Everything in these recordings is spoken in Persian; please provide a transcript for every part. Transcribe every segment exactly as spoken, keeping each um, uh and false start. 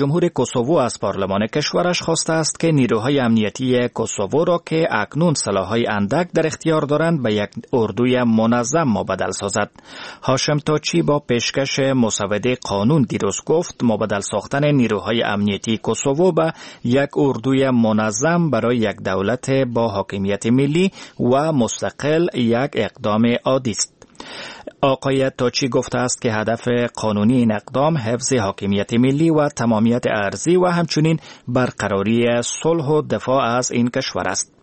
جمهور کوسوو از پارلمان کشورش خواسته است که نیروهای امنیتی کوسوو را که اکنون سلاح‌های اندک در اختیار دارند به یک اردوی منظم مبدل سازد. هاشم تاچی با پیشکش مسوده قانون دیروز گفت مبدل ساختن نیروهای امنیتی کوسوو به یک اردوی منظم برای یک دولت با حاکمیت ملی و مستقل یک اقدام عادی است. آقای تاچی گفته است که هدف قانونی این اقدام حفظ حاکمیت ملی و تمامیت ارضی و همچنین برقراری صلح و دفاع از این کشور است.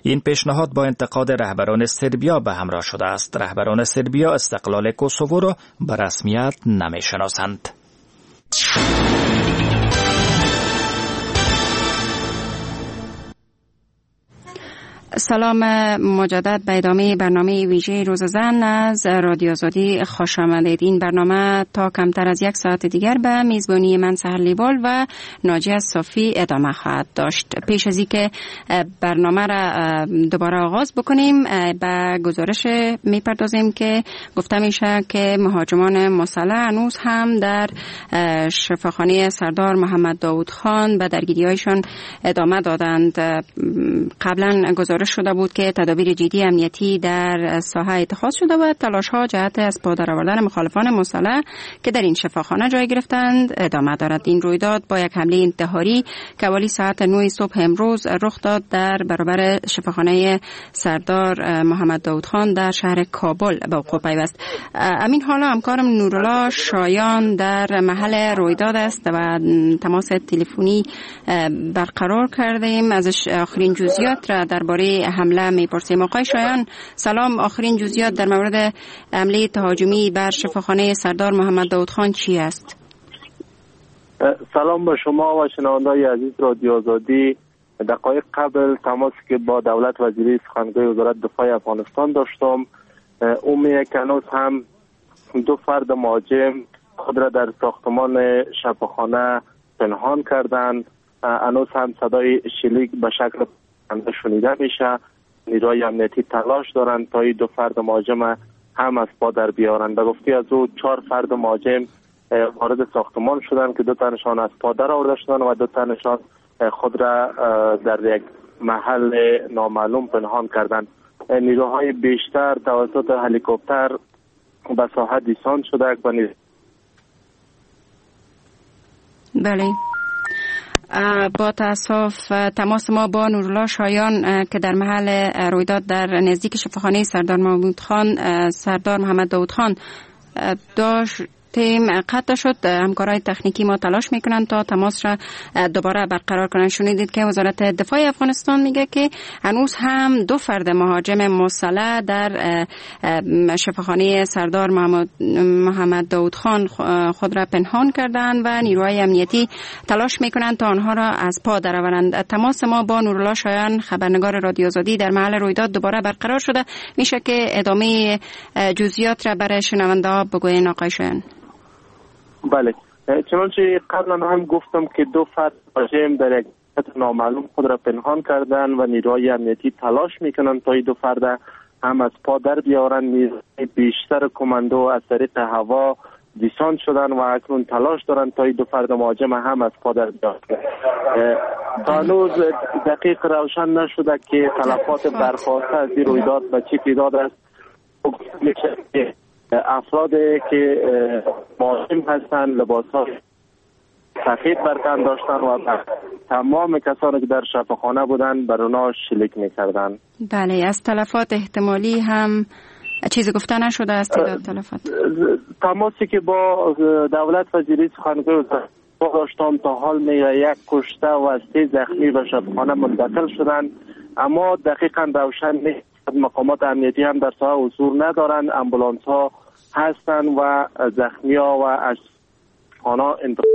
این پیشنهاد با انتقاد رهبران صربیا به همراه شده است. رهبران صربیا استقلال کوسوو را به رسمیت نمی‌شناسند. سلام مجدد به ادامه برنامه ویژه روز زن از رادیو آزادی خوش آمدید. این برنامه تا کمتر از یک ساعت دیگر به میزبانی من سحر لیوال و ناجیه صافی ادامه خواهد داشت. پیش از اینکه برنامه را دوباره آغاز بکنیم به گزارش میپردازیم که گفته میشه که مهاجمان مسلح هنوز هم در شفاخانه سردار محمد داود خان به درگیری‌هایشان ادامه دادند. قبلا گزارش شده بود که تدابیر جدی امنیتی در ساحه اتخاذ شده و تلاش‌ها جهت از پا درآوردن مخالفان مسلح که در این شفاخانه جای گرفتند ادامه دارد. این رویداد با یک حمله انتحاری که حوالی ساعت نه صبح امروز رخ داد در برابر شفاخانه سردار محمد داود خان در شهر کابل به وقوع پیوست. امین حالا همکارم نورالله شایان در محل رویداد است و تماس تلفنی برقرار کردیم. ازش آخرین جزئیات را درباره حمله میپرسیم. آقای شایان سلام، آخرین جزئیات در مورد حمله تهاجمی بر شفاخانه سردار محمد داود خان چی است؟ سلام به شما و شنونده‌های عزیز رادیو آزادی. دقایق قبل تماسی که با دولت وزیری سخنگوی وزارت دفاع افغانستان داشتم، او میگه که هنوز هم دو فرد مهاجم خود را در ساختمان شفاخانه پنهان کردند. هنوز هم صدای شلیک به شکل شنیده میشه. نیروهای امنیتی تلاش دارند تا این دو فرد مهاجم هم از پا در بیارند. به گفته از او چهار فرد مهاجم وارد ساختمان شدند که دو تنشان از پا در آورده شدند و دو تنشان خود را در یک محل نامعلوم پنهان کردند. نیروهای بیشتر توسط هلیکوپتر به ساحه دیسان شده و نیز... بله، با تاسف تماس ما با نورالله شایان که در محل رویداد در نزدیک شفاخانه سردار محمود خان سردار محمد داود خان داشت تیم قطع شد. همکارای تکنیکی ما تلاش میکنن تا تماس را دوباره برقرار کنن. شنیدید که وزارت دفاع افغانستان میگه که هنوز هم دو فرد مهاجم مسلح در شفاخانه سردار محمد داود خان خود را پنهان کردند و نیروهای امنیتی تلاش میکنن تا آنها را از پا درآورند. تماس ما با نورالله شایان خبرنگار رادیو آزادی در محل رویداد دوباره برقرار شده. میشه که ادامه جزئیات را برای شنونده ها بگوین آقای شایان؟ بله، چنانچه قبلا هم گفتم که دو فرد مهاجم در یک نامعلوم خود را پنهان کردن و نیروهای امنیتی تلاش میکنند تا این دو فرد هم از پا در بیارن. نیروهای بیشتر کماندو از طریق هوا دیسان شدن و اکنون تلاش دارند تا این دو فرد مهاجم هم از پا در بیارن. تا هنوز دقیق روشن نشده که تلفات برخاسته از این رویداد به چه تعداد است. افراد که مهاجم هستند لباس ها سفید بر تن داشتن و تمام کسانی که در شفاخانه بودند بر اونا شلیک می‌کردند. بله، از تلفات احتمالی هم چیزی گفته نشده از تعداد تلفات. تماسی که با دولت وزیری سخنگوی داشتم تا حال میگه یک کشته و سه زخمی به شفاخانه منتقل شدند، اما دقیقاً روشن نیست. مقامات امنیتی هم در ساحه حضور ندارند، امبولانس ها هستند و زخمی ها و اشخاص انتقال.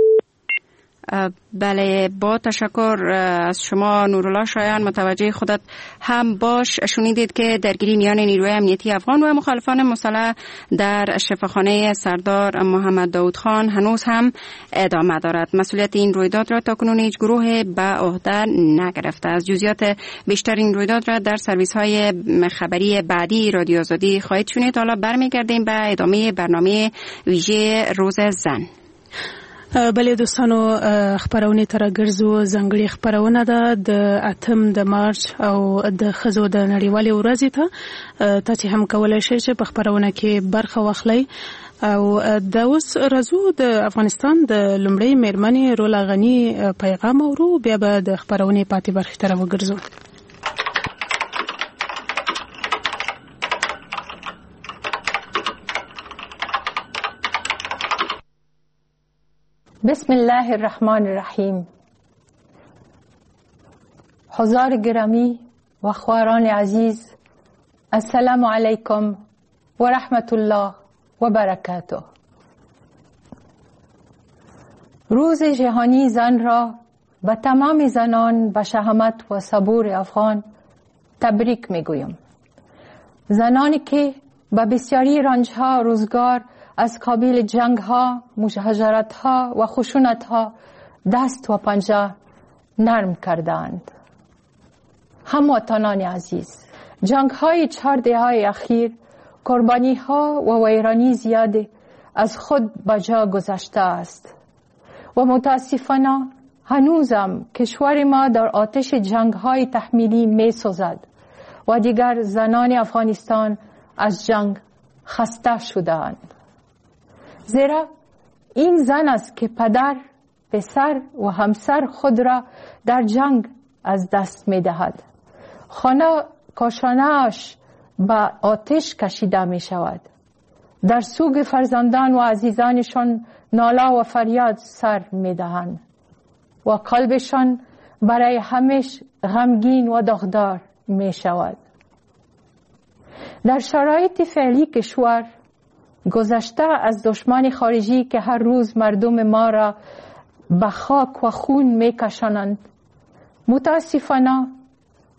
بله، با تشکر از شما نورالله شایان. متوجه خودت هم باش. شنیدید که درگیری میان نیروی امنیتی افغان و مخالفان مسلح در شفاخانه سردار محمد داود خان هنوز هم ادامه دارد. مسئولیت این رویداد را تاکنون هیچ گروه به عهده نگرفته. از جزئیات بیشتر این رویداد را در سرویس های خبری بعدی رادیو آزادی خواهید شنید. حالا برمیگردیم به ادامه برنامه ویژه روز زن. بله دوستانو خبرونه تر ګرځو ځنګړي خبرونه ده د اتم د مارچ او د خزو د نړیوالې ورځې ته تاسو هم کولای شئ چې په خبرونه کې برخه واخلئ. او د اوس راځو د افغانستان د لومړۍ میرمنې رولا غنی پیغام اورو، بیا به د خبرونې پاتې برخې ته راوګرځو. بسم الله الرحمن الرحیم. حضار گرامی و خواهران عزیز، السلام علیکم و رحمت الله و برکاته. روز جهانی زن را به تمام زنان به شهامت و صبور افغان تبریک میگویم. زنانی که به بسیاری رنجها روزگار از قابیل جنگ ها، مهاجرت ها و خشونت ها دست و پنجه نرم کردند. هموطنان عزیز، جنگ های چهار دهه اخیر قربانی ها و ویرانی زیاد از خود به جا گذشته است و متاسفانه هنوزم کشور ما در آتش جنگ های تحمیلی می سوزد و دیگر زنان افغانستان از جنگ خسته شده‌اند. زیرا این زن است که پدر، پسر و همسر خود را در جنگ از دست می دهد. خانه کاشانه‌اش به آتش کشیده می شود. در سوگ فرزندان و عزیزانشان ناله و فریاد سر می دهند و قلبشان برای همیش غمگین و داغدار می شود. در شرایط فعلی کشور، گذشته از دشمن خارجی که هر روز مردم ما را به خاک و خون می کشانند، متاسفانه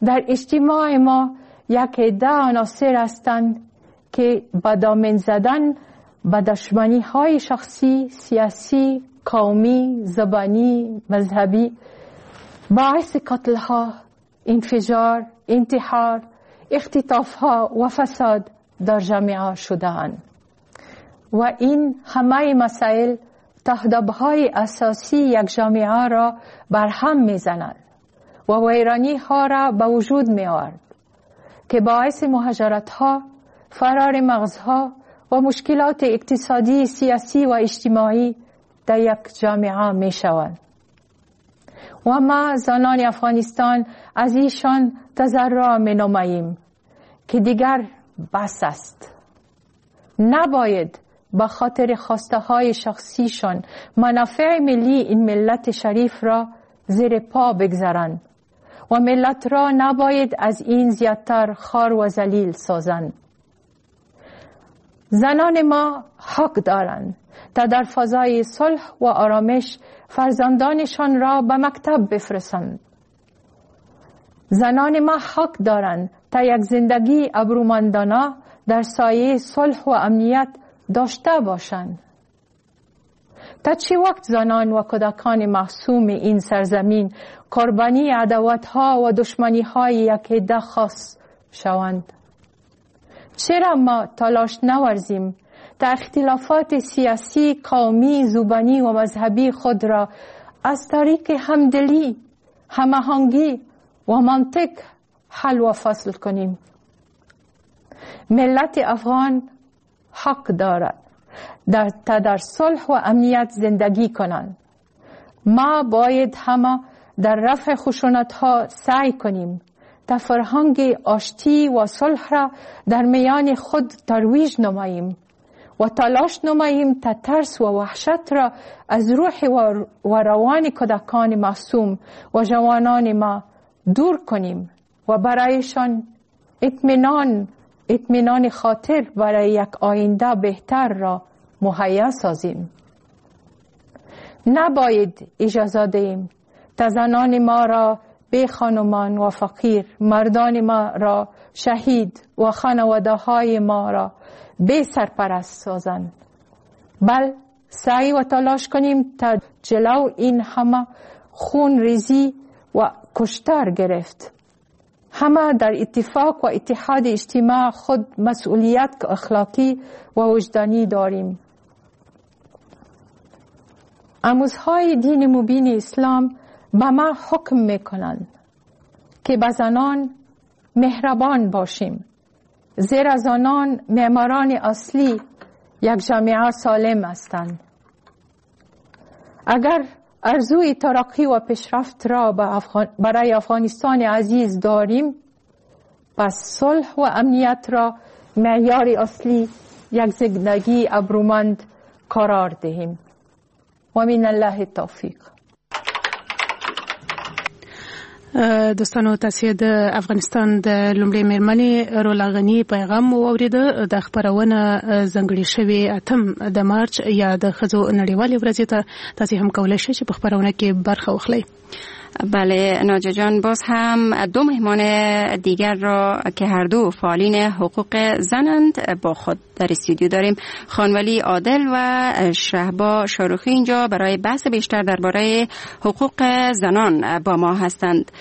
در اجتماع ما یک عده عناصر هستند که با دامن زدن به دشمنی های شخصی، سیاسی، قومی، زبانی، مذهبی باعث قتل ها، انفجار، انتحار، اختطاف ها و فساد در جامعه شده‌اند. و این همه مسائل تهدیدهای اساسی یک جامعه را برهم می‌زند و ویرانی ها را به وجود می آورد که باعث مهاجرت ها، فرار مغزها و مشکلات اقتصادی، سیاسی و اجتماعی در یک جامعه می شوند. و ما زنان افغانستان از ایشان تضرع می نماییم که دیگر بس است. نباید به خاطر خواسته های شخصیشان منافع ملی این ملت شریف را زیر پا بگذارند و ملت را نباید از این زیادتر خوار و ذلیل سازند. زنان ما حق دارند تا در فضای صلح و آرامش فرزندانشان را به مکتب بفرستند. زنان ما حق دارند تا یک زندگی ابرومندانه در سایه صلح و امنیت داشته باشند. تا چه وقت زنان و کودکان معصوم این سرزمین قربانی عداوت‌ها و دشمنی‌های یک عده خاص شوند؟ چرا ما تلاش نورزیم تا اختلافات سیاسی، قومی، زبانی و مذهبی خود را از طریق همدلی، هماهنگی و منطق حل و فصل کنیم؟ ملت افغان حق دارد در تا در صلح و امنیت زندگی کنند. ما باید همه در رفع خشونت‌ها سعی کنیم تا فرهنگ آشتی و صلح را در میان خود ترویج نماییم و تلاش نماییم تا ترس و وحشت را از روح و روان کودکان معصوم و جوانان ما دور کنیم و برایشان اطمینان اطمینان خاطر برای یک آینده بهتر را مهیا سازیم. نباید اجازه دهیم تا زنان ما را بی خانمان و فقیر، مردان ما را شهید و خانواده های ما را بی سرپرست سازند، بل سعی و تلاش کنیم تا جلو این همه خون ریزی و کشتار گرفت. همه در اتفاق و اتحاد اجتماع خود مسئولیت اخلاقی و وجدانی داریم. آموزهای دین مبین اسلام به ما حکم میکنند که به زنان مهربان باشیم، زیرا زنان معماران اصلی یک جامعه سالم هستند. اگر ارزوی ترقی و پیشرفت را برای افغانستان عزیز داریم، پس صلح و امنیت را معیار اصلی یک زندگی ابرومند قرار دهیم. و من الله التوفیق. دوستانو، تاسو د افغانستان د لومړۍ میرمنې رولا غني پیغام واورید. د خبرونه ځانګړې شوې اتم د مارچ یا د ښځو نړیوالې ورځې ته تاسو هم کولای شئ چې په خبرونه کې برخه واخلئ. بله ناجا جان، باز هم دو مهمان دیگر را که هر دو فعالین حقوق زنند با خود در استودیو داریم، خانولی عادل و شهبا شاروخی اینجا برای بحث بیشتر درباره حقوق زنان با ما هستند.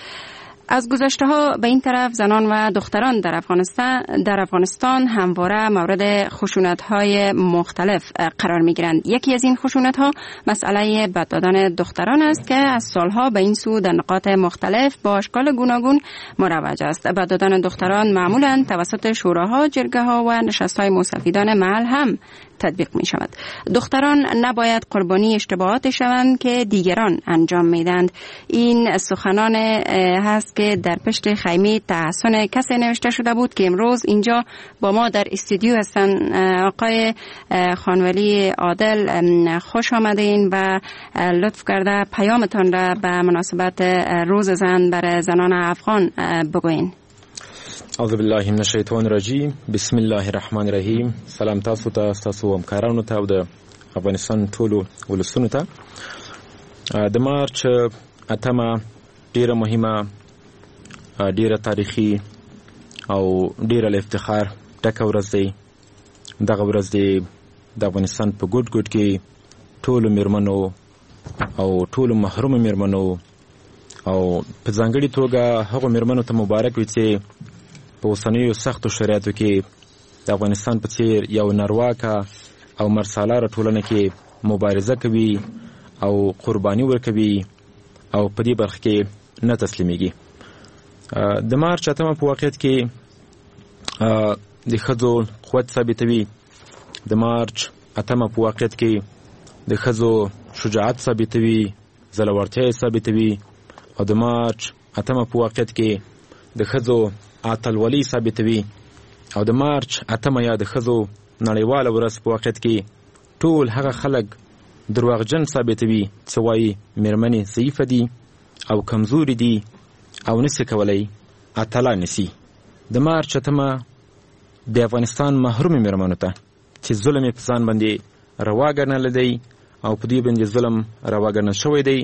از گذشته ها به این طرف زنان و دختران در افغانستان در افغانستان همواره مورد خشونت های مختلف قرار می گیرند. یکی از این خشونت ها مسئله بد دادن دختران است که از سالها به این سو در نقاط مختلف با اشکال گوناگون مروج است. بد دادن دختران معمولا توسط شوراها، جرگه ها و نشست های موسفیدان محل هم تطبیق می شود. دختران نباید قربانی اشتباهات شوند که دیگران انجام می دهند. این سخنان هست که در پشت خیمه تحسن کسی نوشته شده بود که امروز اینجا با ما در استودیو هستند. آقای خانولی عادل، خوش آمدین و لطف کرده پیامتان را به مناسبت روز زن برای زنان افغان بگوین. اعوذ بالله من الشیطان الرجیم، بسم الله الرحمن الرحیم. سلام تاسو ته، تاسو همکارانو ته او د افغانستان ټولو ولسونو ته. د مارچ اتمه ډیره مهمه، ډیره تاریخي او ډیره له افتخار ډکه ورځ دی. دغه ورځ دی د افغانستان په ګوټ ګوټ کې ټولو میرمنو او ټولو محرومو میرمنو او په ځانګړي توګه هغو میرمنو ته مبارک وي چې په اوسنیو سختو شرایطو کې د افغانستان په څیر یو نرواکه او مرسالاره ټولنه کې مبارزه کوي او قرباني ورکوي او په دې برخه کې نه تسلیمیږي. د مارچ اتمه په واقعیت کې د ښځو قوت ثابتوي. د مارچ اتمه په واقعیت کې د ښځو شجاعت ثابتوي، زړورتیا یې ثابتوي، او د مارچ اتمه په واقعیت کې د ښځو اتلولي ثابتوي. او د مارچ اتمه یا د ښځو نړیواله ورځ په واقعیت کې ټول هغه خلک درواغجن ثابتوي چې وایي میرمنې ضعیفه دي او کمزوري دي او نسي کولی اتلان سي. د مارچ اتمه د افغانستان محرومې میرمنو ته چې ظلم یې په ځان باندې روا ګڼلی دی او په دوی باندې ظلم روا ګڼل شوی دی،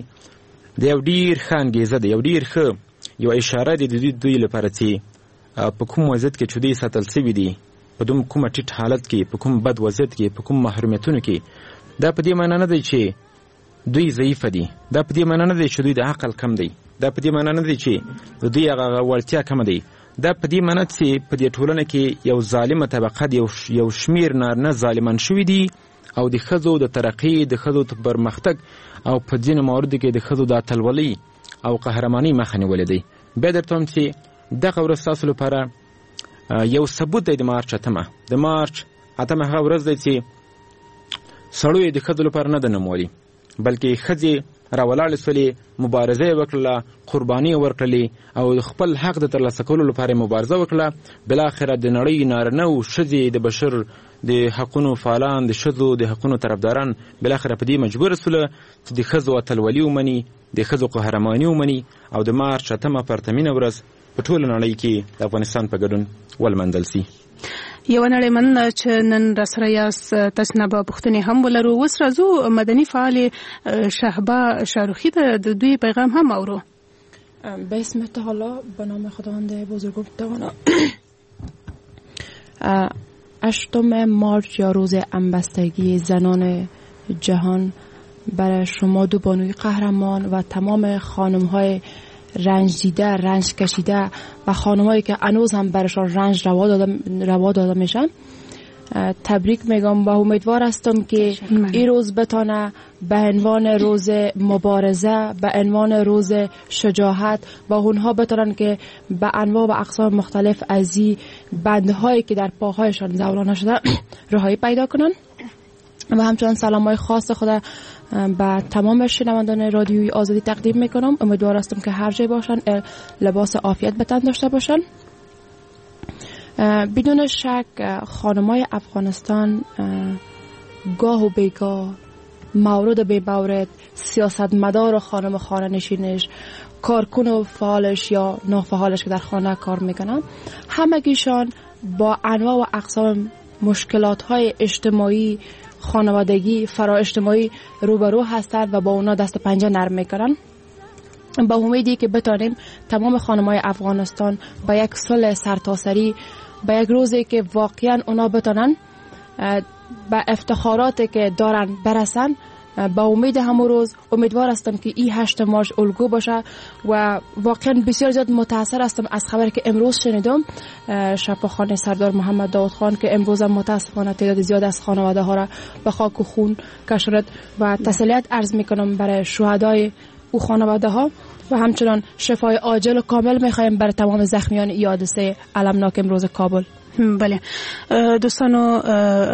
د یو ډیر ښه انګیزه ده، یو ډیر ښه یو اشاره دی د دوی دوی لپاره چې په کوم وضعیت کې چې دوی ساتل سوي دي، په دوم کومه ټیټ حالت کې، په کوم بد وضعیت کې، په کوم محرومیتونو کې، دا په دې معنی نه دی چې دوی ضعیفه دي، دا په دې معنی نه دی چې دوی د عقل کم دی، دا په دې معنی نه دی چې د دوی هغه وړتیا کمه دی، دا په دې معنی چې په دې ټولنه کې یو ظالمه طبقه دی، یو شمیر نارینه ظالمان شوي دي او د ښځو د ترقۍ، د ښځو د پرمختګ او په ځینو مواردو کې د ښځو د اتلولۍ او قهرمانۍ مخه نیولې دی. بیا درته وایم چې دغه ورځ ستاسو لپاره یو ثبوت دی. د مارچ اتمه، د مارچ اتمه هغه ورځ دی چې سړو یې د ښځو لپاره نه ده نومولې، بلکې ښځې راولاړې سولې، مبارزه یې وکړله، قرباني یې ورکړلې او د خپل حق د ترلاسه کولو لپاره یې مبارزه وکړه. بالاخره د نړۍ نارینه او ښځې، د بشر د حقونو فعالان، د ښځو د حقونو طرفداران بالاخره په دې مجبوره سوله چې د ښځو اتلولي ومني، د ښځو قهرماني ومني او د مارچ اتمه پرتمینه ورځ په ټوله نړۍ کې د افغانستان په ګډون ولمانځل سي. یو نړۍ مننه چې نن را سره یاست. تاسو نه به پوښتنې هم ولرو. اوس راځو مدني فعالې شهبا شاروخي ته د دوی پیغام هم اورو. به اسم تعالی، به نام خداوند بزرگ و توانا. هشتم مارچ یا روز همبستگی زنان جهان برای شما دو بانوی قهرمان و تمام خانم‌های رنج دیده، رنج کشیده و خانم‌هایی که هنوز هم برشان رنج روا داده روا داده میشن، تبریک میگم و امیدوار هستم که این روز بتانه به عنوان روز مبارزه، به عنوان روز شجاعت و اونها بتانن که به انواع و اقسام مختلف از این بندهایی که در پاهایشان زولانه شده رهایی پیدا کنن. و همچنان سلام های خاص خود به تمام شنوندگان رادیوی آزادی تقدیم میکنم. امیدوار هستم که هر جای باشن لباس عافیت به تن داشته باشن. بدون شک خانمای افغانستان گاه و بیگاه، مورد و بی‌مورد، سیاستمدار و خانم خانه نشینش، کارکن و فعالش یا نافعالش که در خانه کار میکنن، همگیشان با انواع و اقسام مشکلات های اجتماعی، خانوادگی، فرا اجتماعی روبرو هستند و با اونا دست پنجه نرم میکنن. با امیدی که بتانیم تمام خانمای افغانستان با یک صلح سرتاسری، با یک روزی که واقعا اونا بتانن به افتخاراتی که دارن برسن، با امید همون روز امیدوار هستم که این هشت مارچ الگو باشه و واقعا بسیار زیاد متاثر هستم از خبری که امروز شنیدم، شفاخانه سردار محمد داود خان که امروز هم متاسفانه تعداد زیاد از خانواده ها را به خاک و خون کشاند و تسلیت عرض میکنم برای شهدای او خانواده ها و همچنان شفای عاجل و کامل میخوایم برای تمام زخمیان این حادثه المناک امروز کابل. بله دوستانو،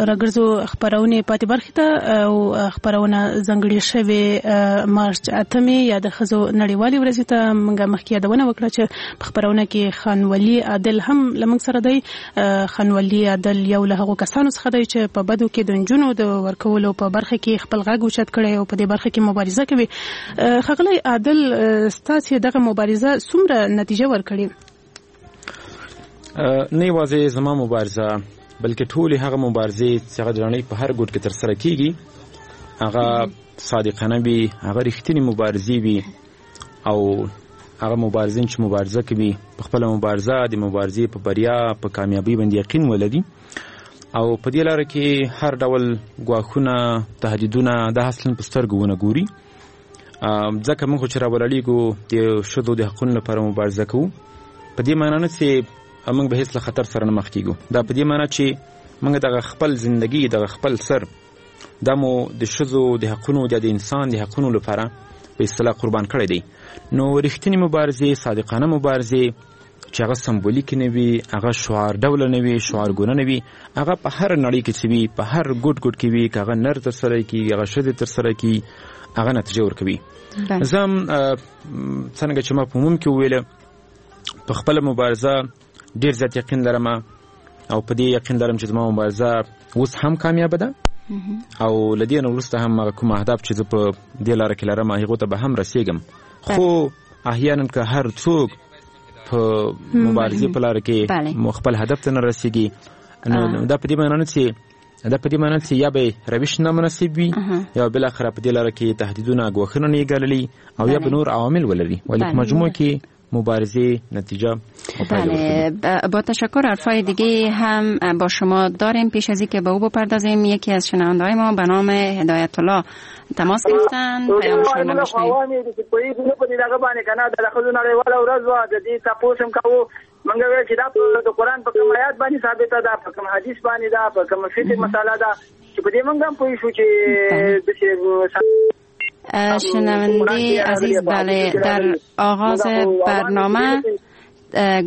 راګرځو خبرونه پاتې برخې ته او خبرونه ځانګړې شوې مارچ اتمې یا د ښځو نړیوالې ورځې ته موږ مخکې یادونه وکړه چې په خبرونه کې خان ولي عادل هم له موږ سره دی. خان ولي عادل یو له هغو کسانو څخه دی چې په بدو کې د نجونو د ورکولو په برخه کې خپل غږ اوچت کړی او په دې برخه کې مبارزه کوي. ښاغلی عادل، ستاسې دغه مبارزه څومره نتیجه ورکړې؟ نه یوازې زما مبارزه بلکې ټولې هغه مبارزې چې هغه د نړۍ په هر ګوټ کې ترسره کیږي هغه صادقانه وي، هغه رښتینې مبارزې وي او هغه مبارزین چې مبارزه کوي په خپله مبارزه د مبارزې په بریا په کامیابۍ باندې یقین ولري او په دې لاره کې هر ډول ګواښونه تهدیدونه دا اصلا په سترګو ونه ګوري. ځکه موږ چې راولاړېږو د ښځو د حقونو لپاره مبارزه کوو په دې معنی نه چې موږ به هیڅ له خطر سره نه مخ کیږو، دا په دې معنی چې موږ دغه خپل زندگی دغه خپل سر دا مو د ښځو د حقونو د انسان د حقونو لپاره په اصطلاح قربان کړی دی. نو رښتینې مبارزې، صادقانه مبارزې چې هغه سمبولیک نه وي، هغه شعار ډوله نه وي، شعارګونه نه وي، هغه په هر نړۍ کې چې وي، په هر ګوټ ګوټ کې وي، که هغه نر ترسره کړي، هغه ښځې ترسره کړي، هغه نتیجه ورکوي. زه هم څنګه چې ما په عموم کې وویله په خپله مبارزه ډیر زیات یقین لرم او په دې یقین لرم چې زما مبارزه اوس هم کامیابه ده او له دې نه وروسته هم هغه کوم اهداف چې زه په دې لاره کې لرم هغو ته به هم رسېږم. خو احیانا که هر څوک په مبارزې په لاره کې خپل هدف ته نه رسېږي نو دا په دې معنی نه چې دا په دې معنی چې یا به روش نامناسب وي یا بالاخره په دې لاره کې تهدیدونه ګواښونه نه یې ګاللي او یا به نور عوامل ولري، ولې په مجموع کې مبارزه نتیجه. بله، با تشکر. حرفای دیگه هم با شما داریم. پیش از اینکه به او بپردازیم یکی از شنونده‌های ما به نام هدایت الله تماس گرفتن، پیامشون رو بشنویم. مونږ ویل چې دا د قرآن په کوم آیات باندې ثابته ده، په کوم حدیث باندې ده، په کوم فقهي مسله ده چې په دې مونږ هم پوه شو چې شنونده عزیز، بله، در آغاز برنامه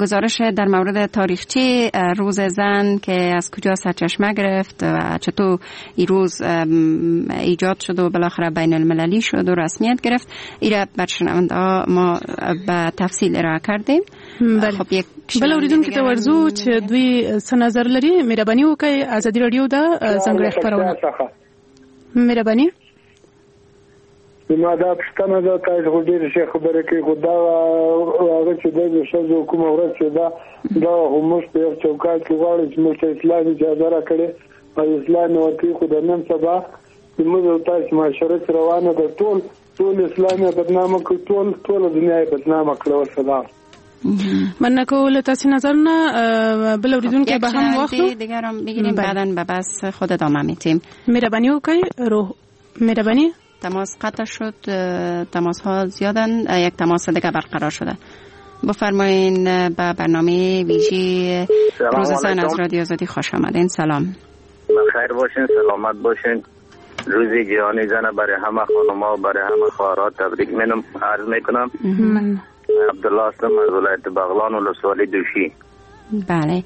گزارش در مورد تاریخچه روز زن که از کجا سرچشمه گرفت و چطور این روز ایجاد شد و بالاخره بین المللی شد و رسمیت گرفت، ایره بر شنونده ما به تفصیل ارائه کردیم. خب یک بل اوریدونکو ته ورځو چې دوی څه نظر لري. مهرباني وکړئ، ازادي رادیو ده ځانګړې خپرونه. مهرباني. زما دا پوښتنه ده، تاسو خو ډېرې ښې خبرې کوئ، خو دا هغه چې دی د ښځو کومه ورځ چې ده دا خو موږ په یو چوکاټ کې غواړو چې موږ ته اسلام اجازه راکړي او اسلام یې ورکوي، خو د نن سبا زموږ او تاسو معاشره چې روانه ده ټول ټول اسلام یې بدنامه کړ، ټول ټوله دنیا یې بدنامه کړه. والسلام. مننه کوو له تاسو نظر نه. بل اوریدونکی به هم واخلو، دیگرم میگیریم بعداً به بس خود ادامه میتیم. مهرباني وکړئ. روح مهرباني. تماس قطع شد، تماس ها زیادن، یک تماس دیگه برقرار شده. بفرمایین به برنامه ویژه روز زن از رادیو آزادی خوش آمدین. سلام. بخیر باشین، سلامت باشین. روز جهانی زن برای همه خانم‌ها و برای همه خواهرها تبریک منم عرض میکنم. عبدالله هستم از ولایت بغلان ولسوالی دوشی. بله،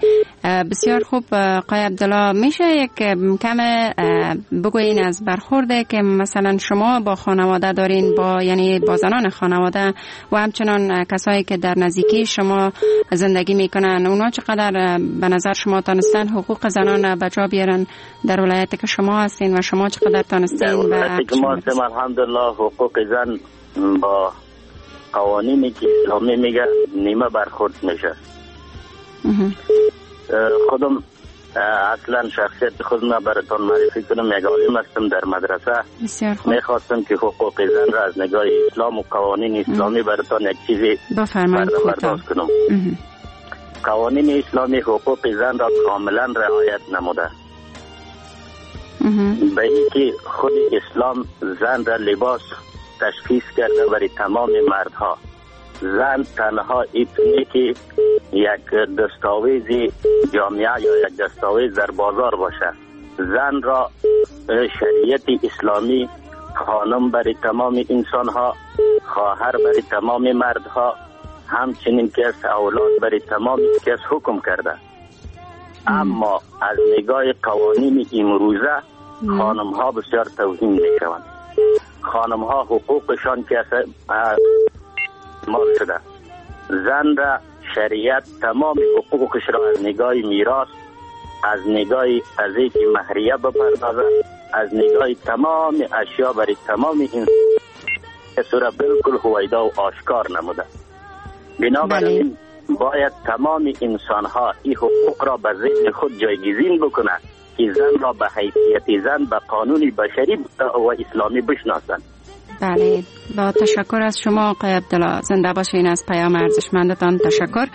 بسیار خوب آقای عبدالله، میشه یک کم بگویین از برخورده که مثلا شما با خانواده دارین، با یعنی با زنان خانواده و همچنان کسایی که در نزدیکی شما زندگی میکنن، اونا چقدر به نظر شما تانستن حقوق زنان به جا بیارن در ولایتی که شما هستین و شما چقدر تانستین؟ در ولایتی که ما هستیم الحمدلله حقوق زن با قوانینی که اسلامی میگه نیمه برخورد میشه. خودم اصلا شخصیت خودم براتون معرفی کنم، یک عالم هستم در مدرسه. میخواستم که حقوق زن را از نگاه اسلام و قوانین اسلامی براتون یک چیزی برداشت کنم. قوانین اسلامی حقوق زن را کاملا رعایت نموده، به اینکه خود اسلام زن را لباس تشخیص کرده برای تمام مردها. زن تنها ایتونه که یک دستاویز جامعه یا یک دستاویز در بازار باشه. زن را شریعت اسلامی خانم برای تمام انسانها، خواهر برای تمام مردها، همچنین که از اولاد برای تمام کس حکم کرده. اما از نگاه قوانین امروزه خانم ها بسیار توهین میشوند. خانم ها حقوقشان که مال شده. زن را شریعت تمام حقوقش را از نگاه میراث، از نگاه از اینکه مهریه بپردازه، از نگاه تمام اشیا برای تمام این را بالکل هویدا و آشکار نموده. بنابراین باید تمام انسان ها این حقوق را به ذهن خود جایگزین بکنند که زن را به حیثیت زن به قانون بشری و اسلامی بشناسند. بله، با تشکر از شما آقای عبدالله، زنده باشین از پیام ارزشمندتان تشکر.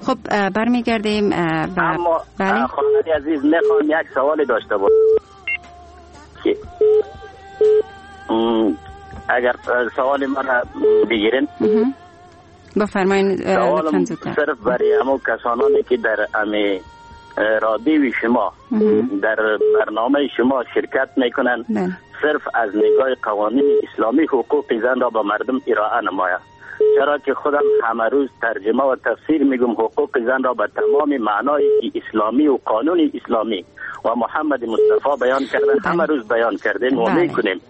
خب برمیگردیم و اما بله؟ خانم عزیز میخوام یک سوال داشته باشم که اگر سوال من بگیرین. بفرمایید. سوالم صرف برای همو کسانانی که در امی رادیوی شما در برنامه شما شرکت میکنن، صرف از نگاه قوانین اسلامی حقوق زن را به مردم ارائه نماید. چرا که خودم همه روز ترجمه و تفسیر میگم حقوق زن را به تمام معنای اسلامی و قانون اسلامی و محمد مصطفی بیان کرده، همه روز بیان کردیم و میکنیم.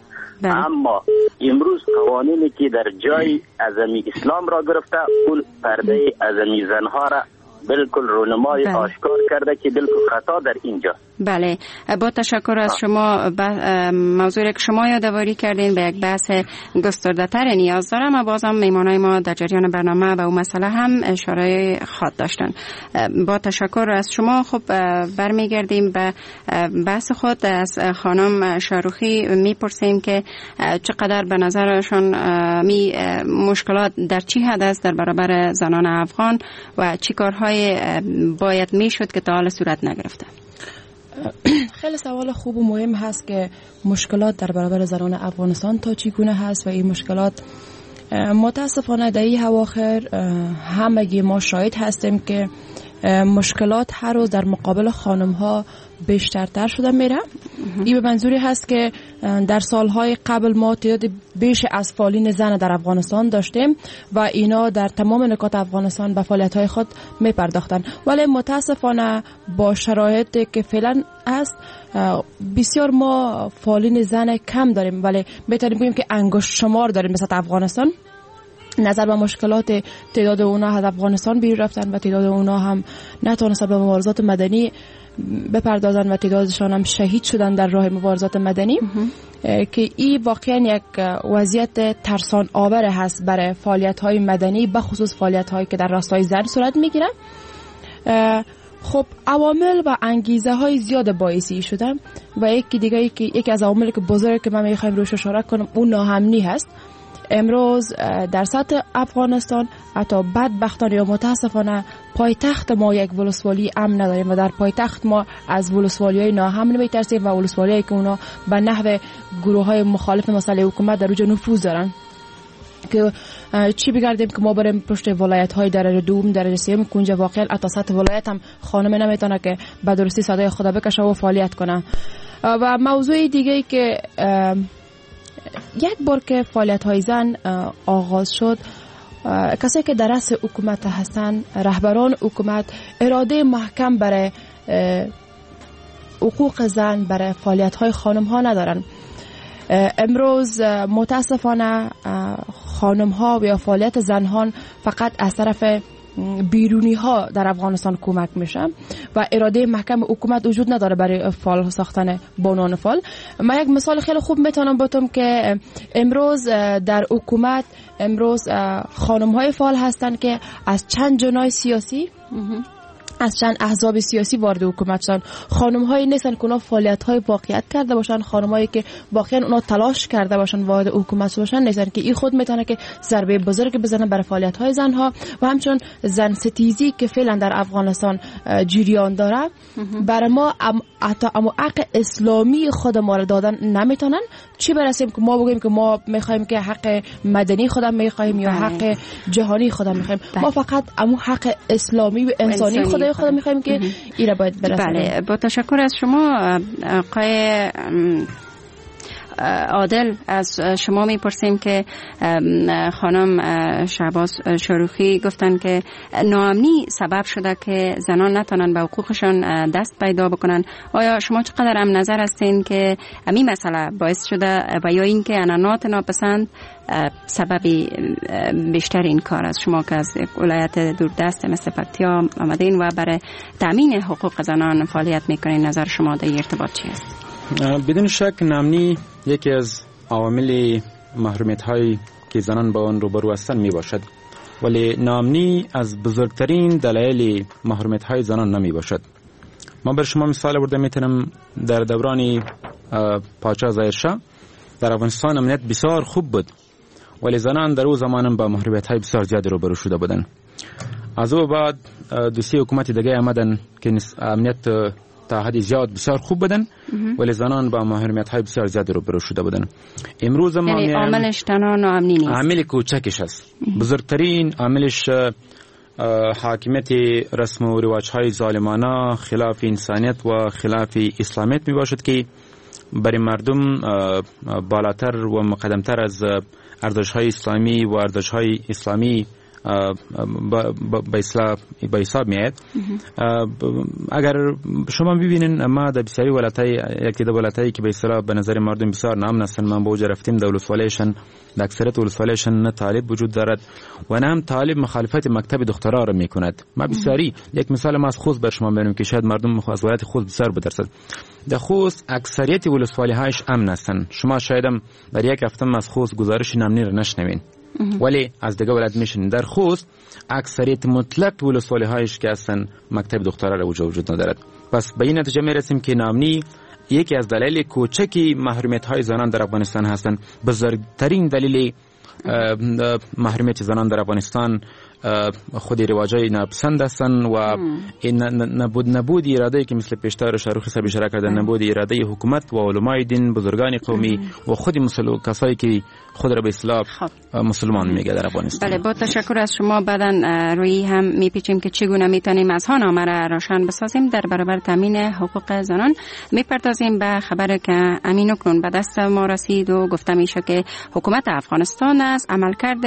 اما امروز قوانینی که در جای ازمی اسلام را گرفته، اون پرده ازمی زنها را بالکل رونمای بله. آشکار کرده که بالکل خطا در اینجا. بله، با تشکر از شما. موضوعی که شما یادآوری کردین به یک بحث گسترده‌تر نیاز دارم و بازم میهمانای ما در جریان برنامه به اون مسئله هم اشاره خواد داشتن. با تشکر از شما. خب برمیگردیم به بحث خود. از خانم شاروخی میپرسیم که چقدر به نظرشان می مشکلات در چی حد است در برابر زنان افغان و چی کارهای باید میشد که تا حال صورت نگرفته. خیلی سوال خوب و مهم هست که مشکلات در برابر زنان افغانستان تا چگونه هست و این مشکلات متاسفانه در این اواخر همگی ما شاهد هستیم که مشکلات هر روز در مقابل خانم ها بیشترتر شده میره. این به منظوری هست که در سالهای قبل ما تعداد بیش از فعالین زن در افغانستان داشتیم و اینا در تمام نکات افغانستان به فعالیت‌های خود میپرداختن، ولی متاسفانه با شرایطی که فعلا است بسیار ما فعالین زن کم داریم، ولی میتونیم بگیم که انگشت شمار داریم مثل افغانستان. نظر به مشکلات تعداد اونا از افغانستان بیرون رفتن و تعداد اونا هم نتونستن به مبارزات مدنی بپردازن و تعدادشان هم شهید شدن در راه مبارزات مدنی، که این واقعا یک وضعیت ترسان آور هست برای فعالیت های مدنی، به خصوص فعالیت هایی که در راستای زن صورت میگیره. خب عوامل و انگیزه های زیاد باعثی شده و یکی دیگه یکی, یکی از عوامل که بزرگ که من میخوایم روش اشاره کنم اون ناامنی هست. امروز در سطح افغانستان حتی بدبختانه یا متاسفانه پایتخت ما یک ولسوالی امن نداریم و در پایتخت ما از ولسوالی‌های ناامن می‌ترسیم و ولسوالی‌هایی که اونا به نحو گروه‌های مخالف مسئله حکومت در اونجا نفوذ دارن. که چی بگردیم که ما بریم پشت ولایت های درجه دوم درجه سوم که اونجا واقعا حتی سطح ولایت هم خانم نمیتونه که به درستی صدای خود بکشه و فعالیت کنه. و موضوع دیگه ای که یک بار که فعالیت های زن آغاز شد، کسایی که در رأس حکومت هستن، رهبران حکومت، اراده محکم برای حقوق زن، برای فعالیت های خانم ها ندارن. امروز متاسفانه خانم ها و یا فعالیت زنان فقط از طرف بیرونی ها در افغانستان کمک میشه و اراده محکم حکومت وجود نداره برای فعال ساختن بانوان فعال. من یک مثال خیلی خوب میتونم بتم که امروز در حکومت امروز خانم های فعال هستند که از چند جناح سیاسی، از چند احزاب سیاسی وارد حکومت شدن. خانم هایی نیستن که اونا فعالیت های واقعیت کرده باشن، خانم هایی که واقعا اونا تلاش کرده باشن وارد حکومت باشن نیستن، که این خود میتونه که ضربه بزرگ بزنه برای فعالیت های زن ها. و همچون زن ستیزی که فعلا در افغانستان جریان داره، برای ما حتی امو حق اسلامی خود ما رو دادن نمیتونن. چی برسیم که ما بگیم که ما میخوایم که حق مدنی خودم میخوایم یا حق جهانی خودم میخوایم؟ ما فقط امو حق اسلامی و انسانی خود خودم میخوایم که ایره باید برسیم. بله، با تشکر از شما آقای عادل. از شما میپرسیم که خانم شهباز شاروخی گفتن که ناامنی سبب شده که زنان نتونن به حقوقشان دست پیدا بکنن. آیا شما چقدر هم نظر هستین که همین مسئله باعث شده و یا اینکه عنعنات ناپسند سبب بیشتر این کار است؟ شما که از ولایت دوردست مثل پکتیا آمدین و برای تامین حقوق زنان فعالیت میکنین، نظر شما در ارتباط چی است؟ بدون شک ناامنی یکی از عوامل محرومیت هایی که زنان با آن روبرو هستند می باشد، ولی ناامنی از بزرگترین دلایل محرومیت های زنان نمی باشد. ما بر شما مثال آورده میتونم در دوران پادشاه ظاهرشاه در افغانستان امنیت بسیار خوب بود، ولی زنان در او زمان با محرومیت های بسیار زیاد روبرو شده بودند. از او بعد دو سه حکومت دیگه آمدن که امنیت تا حد زیاد بسیار خوب بودن، ولی زنان با محرومیت های بسیار زیاد روبرو شده بودن. امروز ما یعنی عاملش تنها ناامنی نیست، عامل کوچکش است. بزرگترین عاملش حاکمیت رسم و رواج های ظالمانه خلاف انسانیت و خلاف اسلامیت می باشد که برای مردم بالاتر و مقدمتر از ارزش های اسلامی و ارزش های اسلامی به حساب میاد. اگر شما ببینین ما در بسیاری ولایت‌های، یکی دو ولایت‌هایی که به اصطلاح به نظر مردم بسیار ناامن هستند، من به اوج رفتیم در ولسوالیشان، در اکثریت ولسوالیشان نه طالب وجود دارد و نه هم طالب مخالفت مکتب دخترها را میکند. ما بسیاری یک مثال ما از خوست بر شما میارم که شاید مردم از ولایت خوست بسیار بترسند. در خوست اکثریت ولسوالی‌هایش امن هستند. شما شاید هم در یک هفته از خوست گزارش ناامنی را نشنوین، ولی از دیگه ولایت میشن. در خوست اکثریت مطلق ولسوالی هایش که اصلا مکتب دخترها را وجود ندارد. پس به این نتیجه میرسیم که ناامنی یکی از دلایل کوچکی محرومیت های زنان در افغانستان هستند. بزرگترین دلیل محرومیت زنان در افغانستان خود رواجای ناپسند هستند و نبود نبود اراده که مثل پیشتر شاروخی صاحب اشاره کردن، نبود اراده حکومت و علمای دین، بزرگان قومی و خود مسلمان کسایی که خود را به اصطلاح مسلمان میگه در افغانستان. بله، با تشکر از شما. بعداً روی هم میپیچیم که چگونه میتونیم از ها نامه را روشن بسازیم در برابر تامین حقوق زنان. میپردازیم به خبر که امین اکنون به دست ما رسید و گفته میشه که حکومت افغانستان از عملکرد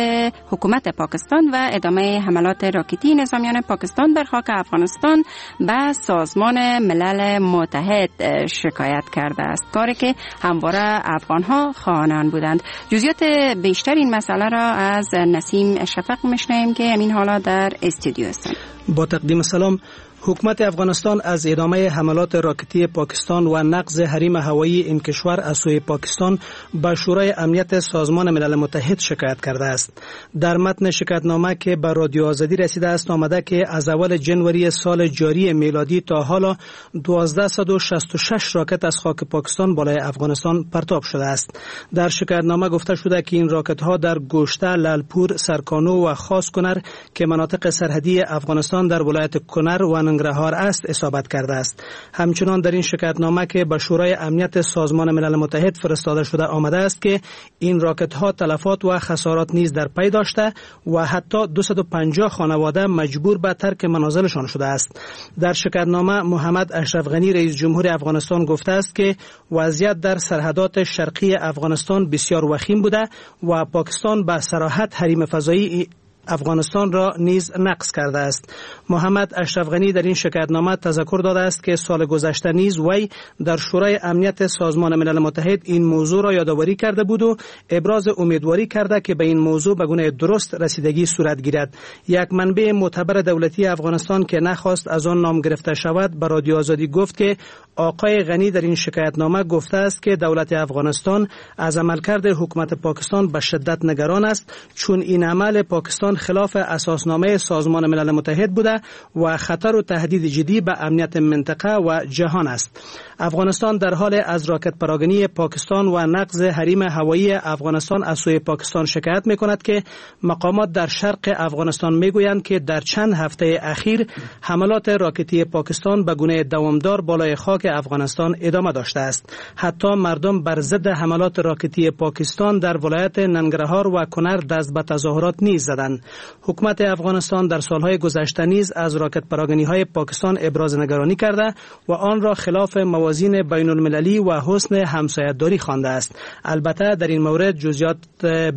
حکومت پاکستان و ادامه حملات راکتی نظامیان پاکستان بر خاک افغانستان به سازمان ملل متحد شکایت کرده است، کاری که همواره افغانها خواهان بودند. جزئیات بیشتر این مسئله را از نسیم شفق میشنویم که همین حالا در استودیو هستند. با تقدیم سلام. حکومت افغانستان از ادامه حملات راکتی پاکستان و نقض حریم هوایی این کشور از سوی پاکستان به شورای امنیت سازمان ملل متحد شکایت کرده است. در متن شکایتنامه که به رادیو آزادی رسیده است آمده که از اول جنوری سال جاری میلادی تا حالا دوازده صد و شصت و شش راکت از خاک پاکستان بالای افغانستان پرتاب شده است. در شکایتنامه گفته شده که این راکت ها در گوشته، لالپور، سرکانو و خاص کنر که مناطق سرحدی افغانستان در ولایت کنر و ننگرهار است اصابت کرده است. همچنان در این شکایتنامه که به شورای امنیت سازمان ملل متحد فرستاده شده آمده است که این راکت ها تلفات و خسارات نیز در پی داشته و حتی دویست و پنجاه خانواده مجبور به ترک منازلشان شده است. در شکایتنامه محمد اشرف غنی رئیس جمهور افغانستان گفته است که وضعیت در سرحدات شرقی افغانستان بسیار وخیم بوده و پاکستان به صراحت حریم فضایی افغانستان را نیز نقض کرده است. محمد اشرف غنی در این شکایتنامه تذکر داده است که سال گذشته نیز وی در شورای امنیت سازمان ملل متحد این موضوع را یادآوری کرده بود و ابراز امیدواری کرده که به این موضوع به گونه درست رسیدگی صورت گیرد. یک منبع معتبر دولتی افغانستان که نخواست از آن نام گرفته شود به رادیو آزادی گفت که آقای غنی در این شکایتنامه گفته است که دولت افغانستان از عملکرد حکومت پاکستان به شدت نگران است، چون این عمل پاکستان خلاف اساسنامه سازمان ملل متحد بوده و خطر و تهدید جدی به امنیت منطقه و جهان است. افغانستان در حال از راکت پراگنی پاکستان و نقض حریم هوایی افغانستان از سوی پاکستان شکایت می‌کند که مقامات در شرق افغانستان می‌گویند که در چند هفته اخیر حملات راکتی پاکستان به گونه دوامدار بالای خاک افغانستان ادامه داشته است. حتی مردم بر ضد حملات راکتی پاکستان در ولایت ننگرهار و کنر دست به تظاهرات نیز زدند. حکومت افغانستان در سالهای گذشته نیز از راکت پراگنی های پاکستان ابراز نگرانی کرده و آن را خلاف موازین بین المللی و حسن همسایه‌داری خوانده است. البته در این مورد جزئیات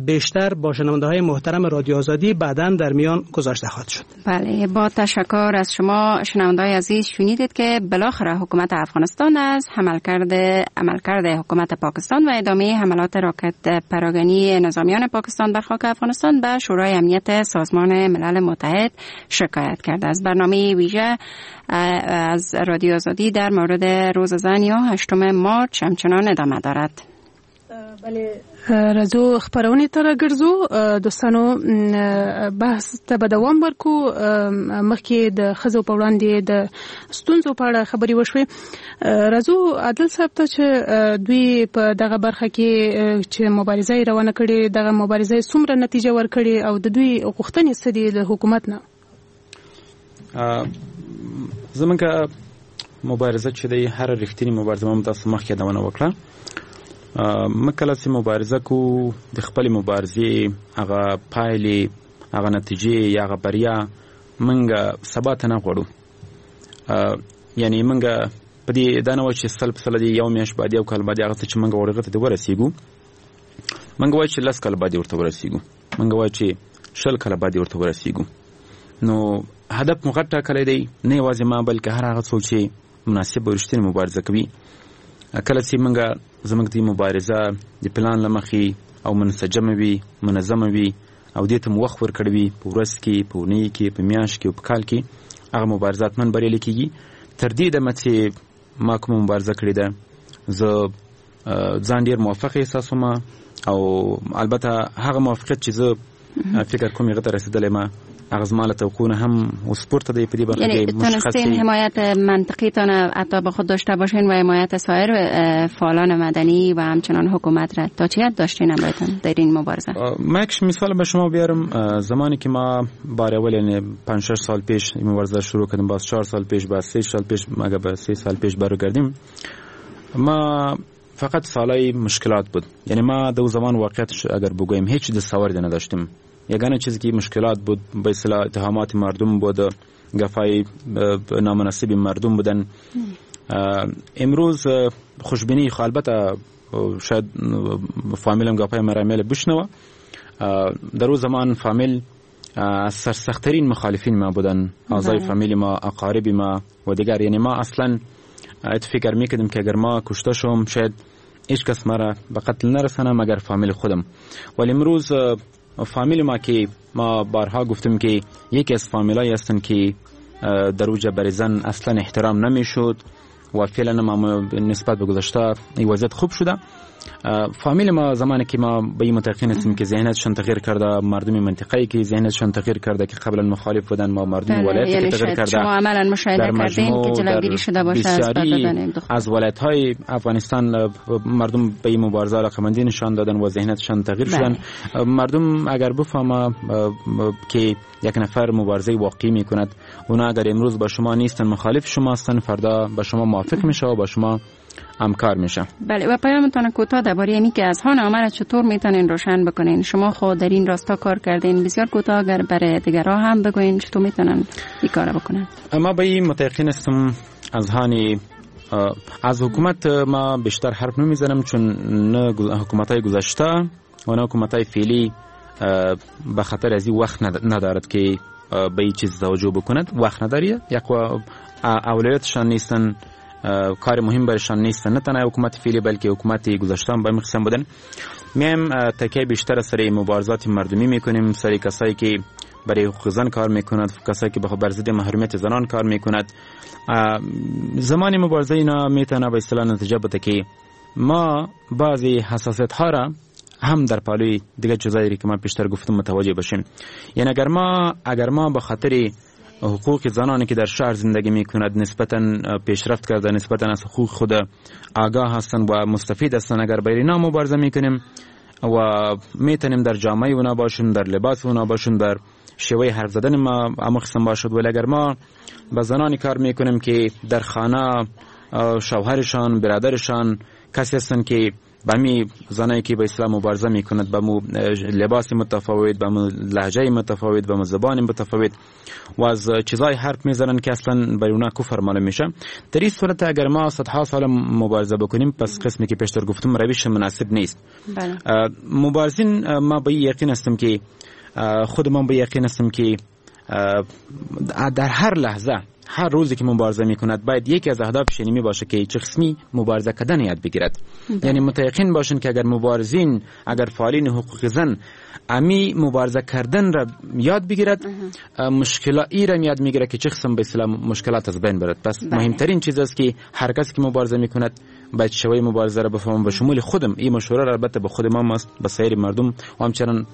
بیشتر با شنونده‌های محترم رادیو آزادی بعداً در میان گذاشته خواهد شد. بله، با تشکر از شما شنونده‌های عزیز. شنیدید که بالاخره حکومت افغانستان از عملکرد عملکرد حکومت پاکستان و ادامه حملات راکت پراگنی نظامیان پاکستان بر خاک افغانستان به شورای امنیت سازمان ملل متحد شکایت کرده است. برنامه ویژه از رادیو آزادی در مورد روز زن یا هشتم مارچ همچنان ادامه دارد. بله، راځو خبرونه ته راګرځو. دوستانو، بحث ته به دوام ورکو. مخکې د ښځو په وړاندې د ستونزو په اړه خبرې وشوې. راځو عادل صاحب ته چې دوی په دغه برخه کې چې مبارزه یې روانه کړې، دغه مبارزه یې څومره نتیجه ورکړې او د دوی غوښتنې څه دي له حکومت نه؟ زمونږ مبارزه چې دی، هره رښتینې مبارزه مو تاسو مخکې یادونه وکړه. موږ کله چې مبارزه کوو د خپلې مبارزې هغه پایلې، هغه نتیجې یا هغه بریا موږ سبا ته نه غواړو. یعنی موږ په دې دا نه وایو چې سل په سله دې یو میاشت بعد، یو کال بعد هغه څه چې موږ غواړو هغه ته دې ورسېږو. موږ وایو چې لس کاله بعد ورته ورسېږو، موږ وایو چې شل کاله بعد ورته ورسېږو. نو هدف مو غټ ټاکلی دی، نه یوازې ما بلکې هر هغه څوک چې مناسب او رښتینې مبارزه کوي. کله چې موږ زموږ د مبارزه د پلان له مخې او منسجمه وي، منظمه وي او دې ته مو وخت ورکړی وي، په ورځ کې، په اونۍ کې، په میاشت کې او په کال کې، هغه مبارزه حتما بریالۍ کېږي. تر دې دمه چې ما کومه مبارزه کړې ده، زه ځان ډېر موفق احساسوم او البته هغه موفقیت چې زه فکر کوم هغه ته رسېدلی ما، هغه زما له توقع نه هم اوس پورته دی په دې برخه کې. تونستین حمایت منطقی تان حتی به خود داشته باشین و حمایت سایر فعالان مدنی و همچنان حکومت را تا چه حد داشتین همراهتان در این مبارزه؟ ما یک مثال به شما بیارم. زمانی که ما بار اول، یعنی پنج شش سال پیش این مبارزه شروع کردیم، باز چهار سال پیش، باز سه سال پیش، مگه به سه سال پیش برگردیم، ما فقط سالای مشکلات بود. یعنی ما دو زمان واقعیت اگر بگوییم هیچ دستاوردی نداشتیم. یگانه چیزی که مشکلات بود به اصطلاح اتهامات مردم بود، گفای نامناسب مردم بودن. امروز خوشبینی، البته شاید فامیلم گپای مرا بشنوه، در او زمان فامیل از سرسخت‌ترین مخالفین ما بودن، اعضای فامیل ما، اقارب ما و دیگر. یعنی ما اصلا فکر میکردیم که اگر ما کشته شوم شاید هیچ کس مرا به قتل نرسانه مگر فامیل خودم. ولی امروز فامیل ما که ما بارها گفتم که یکی از فامیلایی هستن که در اوج برای زن اصلا احترام نمیشد و فعلا ما نسبت به گذشته این وضعیت خوب شده. فامیل ما زمانی که ما به این متقین هستیم که ذهنیتشان تغییر کرده، مردم منطقه‌ای که ذهنیتشان تغییر کرده که قبلا مخالف بودن، ما مردم ولایتی که تغییر کرده، شما عملاً مشاهده کردین که جلوگیری شده باشه از دادن دختر. از ولایت‌های افغانستان مردم به این مبارزه علاقه‌مندی نشان دادن و ذهنیتشان تغییر شدن. مردم اگر بفهمه که یک نفر مبارزه واقعی میکند، اونا اگر امروز با شما نیستن، مخالف شما هستن، فردا با شما موافق میشه و با شما همکار میشه. بله، و پیامتان کوتاه درباره اینی که از هان عمل چطور میتونین روشن بکنین، شما خود در این راستا کار کردین، بسیار کوتاه اگر برای دیگرها هم بگوین چطور میتونن این کارا بکنن. اما به این متیقن هستم از هانی از حکومت ما بیشتر حرف نمیزنم، چون نه حکومت‌های گذشته و نه حکومت‌های فعلی به خاطر از این وقت ندارد که به این چیز توجه بکند، وقت نداری، یک اولویتشان نیستن، کار مهم برشان نیست، نه تنها حکومت فعلی بلکه حکومت گذشته هم به این قسم بودن. میم تکیه بیشتر سر مبارزات مردمی میکنیم، سر کسایی که برای حقوق زن کار میکند، کسایی که بر ضد محرومیت زنان کار میکند. زمان مبارزه اینا میتونه به اصطلاح نتیجه بده که ما بعضی حساسیت ها را هم در پالوی دیگه چیزایی که من پیشتر گفتم متوجه باشیم. یعنی اگر ما اگر ما به خاطر حقوق زنانی که در شهر زندگی میکند نسبتاً پیشرفت کرده، نسبتاً از حقوق خود آگاه هستند و مستفید هستند، اگر بر اینا مبارزه میکنیم و میتونیم در جامعه اونا باشیم، در لباس اونا باشیم، در شیوه حرف زدن ما اما قسم باشد. ولی اگر ما با زنانی کار میکنیم که در خانه شوهرشان، برادرشان کسی هستند که به می زنایی که به اسلام مبارزه میکند، به مو لباس متفاوت، به مو لهجه متفاوت، به مو زبان متفاوت و از چیزای حرف میزنن که اصلا برای اونا کفر معلوم میشه، در این صورت اگر ما صدها سال مبارزه بکنیم، پس قسمی که پیشتر گفتم روش مناسب نیست. بله. مبارزین ما به یقین هستم که خود من به یقین هستم که در هر لحظه، هر روزی که مبارزه میکند، باید یکی از اهدافش اینمی باشه که چه قسمی مبارزه کردن یاد بگیرد. یعنی متیقن باشن که اگر مبارزین، اگر فعالین حقوق زن امی مبارزه کردن را یاد بگیرد، مشکلاتی را یاد میگیره که چه قسم به اصطلاح مشکلات از بین برد. پس مهمترین چیز است که هر کسی که مبارزه میکند باید شوی مبارزه را بفهمم، به شمول خودم. این مشوره را البته به خود ما است، به سایر مردم و همچنان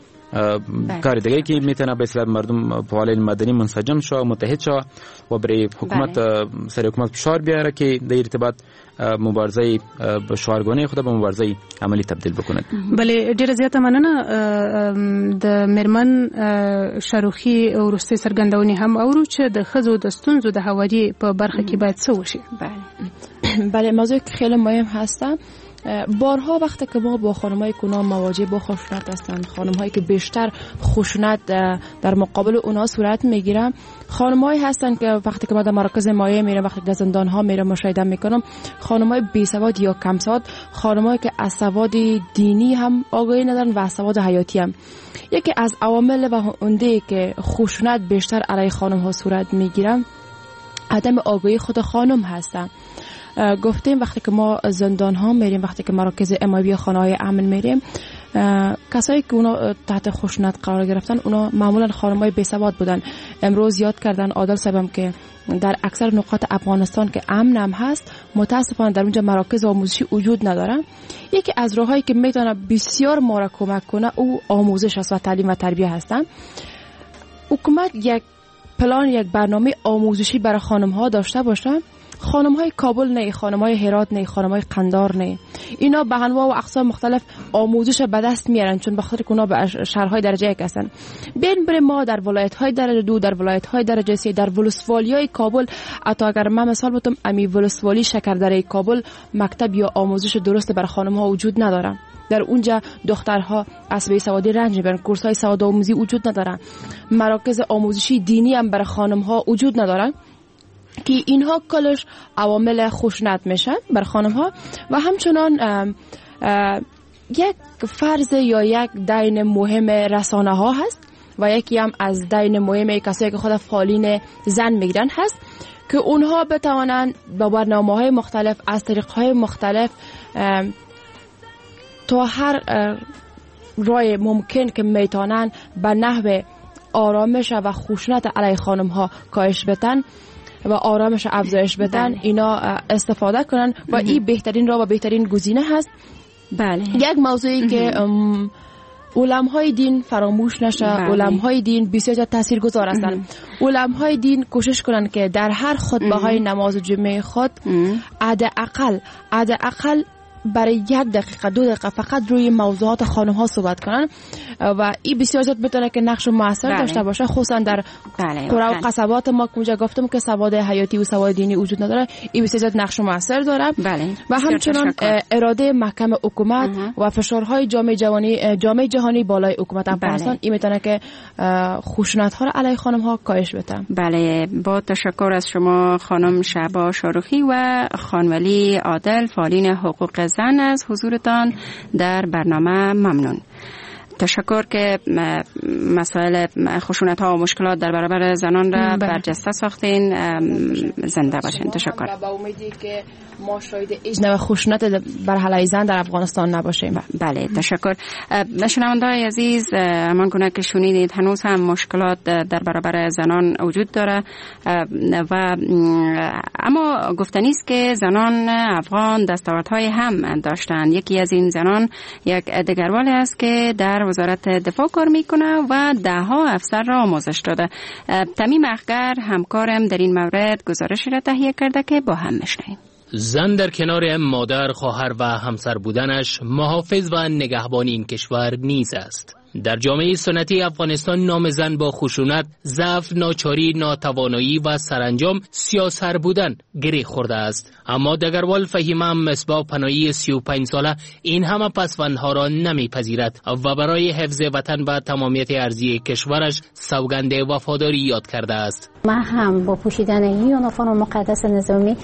کار دیگه که میتونه به اصطلاح مردم فعالین مدنی منسجم شو، متحد شو و برای حکومت سر حکومت فشار بیاره که در ارتباط مبارزه شعارگونه خود به مبارزه عملی تبدیل بکند. بله، ډیره زیاته مننه. د میرمن شاروخي وروستۍ څرګندونې هم اورو چې د ښځو د ستونزو د هواري په برخه کې باید څه وشي. بله بله، موضوع خیلی مهم هست. بارها وقتی که ما با خانم‌های کنا مواجه با خشونت هستند، خانم‌هایی که بیشتر خشونت در مقابل اونها صورت میگیره، خانم‌هایی هستند که وقتی که ما در مراکز مایع میرم، وقتی در زندان‌ها میرم مشاهده میکنم، خانم‌های بی‌سواد یا کم سواد، خانم‌هایی که از سواد دینی هم آگاهی ندارن و از سواد حیاتی هم. یکی از عوامل و عمده که خشونت بیشتر علیه خانم‌ها صورت میگیره عدم آگاهی خود خانم هستند. گفتیم وقتی که ما زندان ها میریم، وقتی که مراکز امایی خانه های امن میریم، کسایی که اونا تحت خشونت قرار گرفتن اونا معمولا خانم های بی‌سواد بودن. امروز یاد کردن عادل صاحبم که در اکثر نقاط افغانستان که امن هم هست، متاسفانه در اونجا مراکز آموزشی وجود نداره. یکی از راهایی که میتونه بسیار ما را کمک کنه او آموزش است و تعلیم و تربیه هستن. حکومت یک پلان، یک برنامه آموزشی برای خانم ها داشته باشه. خانم های کابل نه، خانم های هرات نه، خانم های قندار نه، اینا به انواع و اقسام مختلف آموزش به دست میارن، چون به خاطر که اونا به شهرهای درجه یک هستن. بین بر ما در ولایت های درجه دو، در ولایت های درجه سه، در ولسوالی های کابل، حتی اگر من مثال بتم امی ولسوالی شکردره کابل مکتب یا آموزش درست بر خانم ها وجود نداره. در اونجا دخترها از بی‌سوادی رنج میبرن، کورس های سواد آموزی وجود نداره، مراکز آموزشی دینی هم برای خانم ها وجود نداره که اینها کلش عوامل خشونت میشن بر خانم ها. و همچنان ام ام یک فرض یا یک دین مهم رسانه ها هست و یکی هم از دین مهم کسایی که خود فعالین زن میگیرن هست که اونها بتوانند با برنامه های مختلف از طریق های مختلف تا هر رای ممکن که میتونن به نحو آرامش و خشونت علیه خانم ها کاهش بدن و آرامش افزایش بدن، اینا استفاده کنن و این بهترین راه و بهترین گزینه هست. بله. یک موضوعی که علمای دین فراموش نشه. علمای دین بسیار تاثیرگذار هستند. علمای دین کوشش کنند که در هر خطبه های نماز جمعه خود حداقل حداقل برای یک دقیقه دو دقیقه فقط روی موضوعات خانم ها صحبت کنن و این بسیار زیاد بتونه که نقش موثر بله. داشته باشه، خصوصا در بله. قرا و قصبات ما که اونجا گفتم که سواد حیاتی و سواد دینی وجود نداره، این بسیار زیاد نقش موثر داره. بله. و همچنان اراده محکم حکومت و فشارهای جامعه جهانی جامعه جهانی بالای حکومت افغانستان این میتونه که خشونت ها را علیه خانم ها کاهش بده. بله، با تشکر از شما خانم شهبا شاروخی و خانولی عادل، فعالین حقوق زن، از حضورتان در برنامه ممنون. تشکر که مسائل خشونت ها و مشکلات در برابر زنان را برجسته ساختین. زنده باشین. تشکر. و با امیدی که ما شاهد هیچ نوع خشونت بر علیه زن در افغانستان نباشیم. بله، تشکر. شنونده‌های عزیز، همان گونه که شنیدید هنوز هم مشکلات در برابر زنان وجود داره و اما گفتنی است که زنان افغان دستاوردهای هم داشتند. یکی از این زنان یک دگروال است که در وزارت دفاع کار میکنه و ده ها افسر را آموزش داده. تمیم اخگر همکارم در این مورد گزارشی را تهیه کرده که با هم میشنویم. زن در کنار مادر، خواهر و همسر بودنش محافظ و نگهبان این کشور نیز است. در جامعه سنتی افغانستان نام زن با خشونت، ضعف، ناچاری، ناتوانایی و سرانجام سیاسر بودن گره خورده است. اما دگروال فهیمه مصباح پناهی سی و پنج ساله این همه پسوندها را نمیپذیرد و برای حفظ وطن و تمامیت ارضی کشورش سوگند وفاداری یاد کرده است. من هم با پوشیدن این یونیفرم مقدس نظامی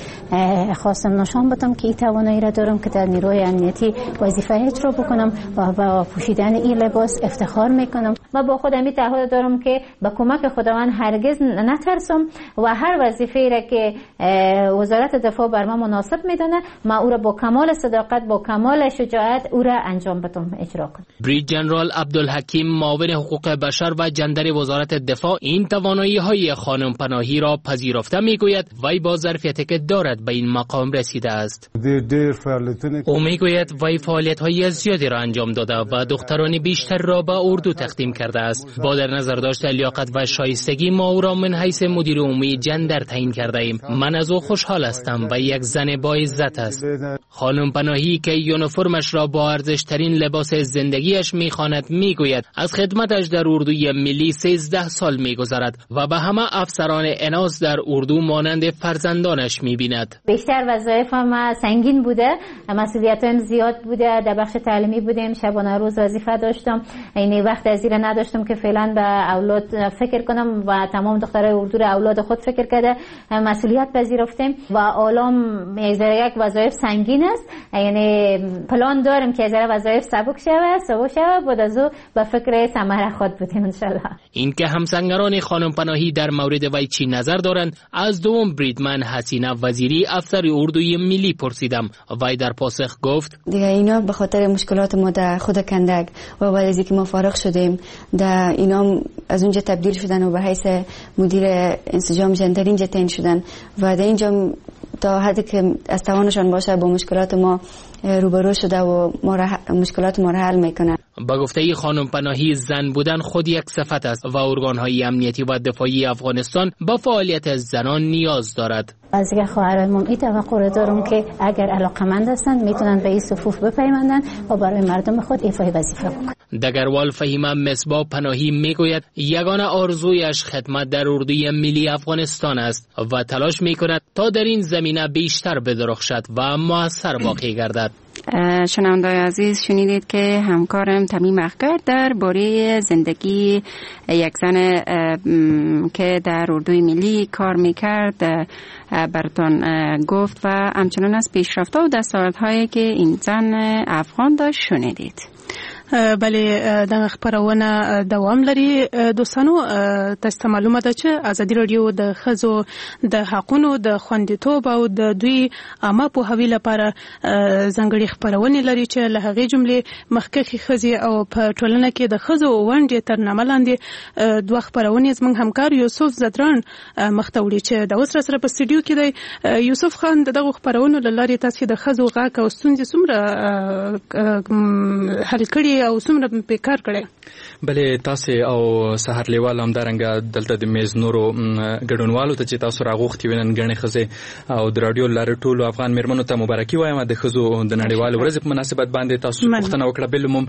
خواستم نشان بدم که این توانایی را دارم که در نیروی امنیتی وظیفه اجرا بکنم و با پوشیدن این لباس افتخار میکنم و با خودم این تعهد دارم که با کمک خداوند هرگز نترسم و هر وظیفه‌ای را که وزارت دفاع بر ما مناسب میدانه ما او را با کمال صداقت، با کمال شجاعت او را انجام بدم، اجرا کنم. برید جنرال عبدالحکیم معاون حقوق بشر و جندر وزارت دفاع این توانایی های خانم پناهی را پذیرفته میگوید وی با ظرفیتی که دارد به این مقام رسیده است. او میگوید وی فعالیت های زیادی را انجام داده و دختران بیشتر را به اردو تقدیم کرده است. با در نظر داشت لیاقت و شایستگی ما او را من حیث مدیر عمومی جندر تعیین کرده ایم. من از او خوشحال هستم و یک زن با عزت است. خانم پناهی که یونیفرمش را با ارزشترین لباس زندگیش میخواند میگوید از خدمتش در اردوی ملی سیزده سال میگذرد و به همه افسران اناث در اردو مانند فرزندانش میبیند. بیشتر وظایفم سنگین بوده، مسئولیتم زیاد بوده، در بخش تعلیمی بودیم، شبانه روز وظیفه داشتم، یعنی وقت از این نداشتم که فعلا به اولاد فکر کنم و تمام دخترای اردو را اولاد خود فکر کرده مسئولیت پذیرفتیم و عالم یک وظایف سنگین است، یعنی پلان داریم که از وظایف سبک شود، سبک شود، بعد از او به فکر ثمره خود بودیم ان شاء الله. اینکه همسنگران خانم پناهی در مورد وی چی نظر دارند از دوم بریدمن حسینه وزیری افسر اردوی ملی پرسیدم. وی در پاسخ گفت دیگه اینا به خاطر مشکلات ما در خود کندک و بعد از اینکه ما فارغ شدیم در اینا از اونجا تبدیل شدن و به حیث مدیر انسجام جندر اینجا تعیین شدن و در اینجا تا حدی که از توانشان باشه با مشکلات ما روبرو شده و ما را مشکلات ما را حل میکنه. با گفته خانم پناهی زن بودن خود یک صفت است و ارگان‌های امنیتی و دفاعی افغانستان با فعالیت زنان نیاز دارد. از دیگه خواهرانم این توقع دارم که اگر علاقه‌مند هستند میتونن به این صفوف بپیوندن و برای مردم خود ایفای وظیفه بکنن. دگروال فهیمه مصباح پناهی میگوید یگانه آرزویش خدمت در اردوی ملی افغانستان است و تلاش میکند تا در این زمینه بیشتر بدرخشد و موثر واقع گردد. شنونده‌های عزیز، شنیدید که همکارم تمیم اخگر درباره زندگی یک زن که در اردوی ملی کار میکرد براتون گفت و همچنان از پیشرفت‌ها و دستاوردهایی که این زن افغان داشت شنیدید. بله، دغه خپرونه دوام لري. دوستانو، تاسو ته معلومه ده چې ازادي راډیو د ښځو د حقونو د خوندیتوب او د دوی عامه پوهاوي لپاره ځانګړې خپرونې لري چې له هغې جملې مخکښې ښځې او په ټولنه کې د ښځو ونډې تر نامه لاندې دوه خپرونې زموږ همکار یوسف ځدراڼ مخته وړي چې د اوس سره په استودیو کې دی. یوسف خان، د دغو خپرونو له لارې تاسو د ښځو غږ او ستونزې څومره حل کړي او څومره په کار کړي؟ بله، تاسو او سحر لیوال، همدارنګه دلته د میز نورو ګډونوالو ته چې تاسو راغوښتي وي نن ګڼې ښځې او د راډیو لارې ټولو افغان میرمنو ته مبارکي وایم د ښځو د نړیوالې ورځې په مناسبت باندې. تاسو پوښتنه وکړه، بالعموم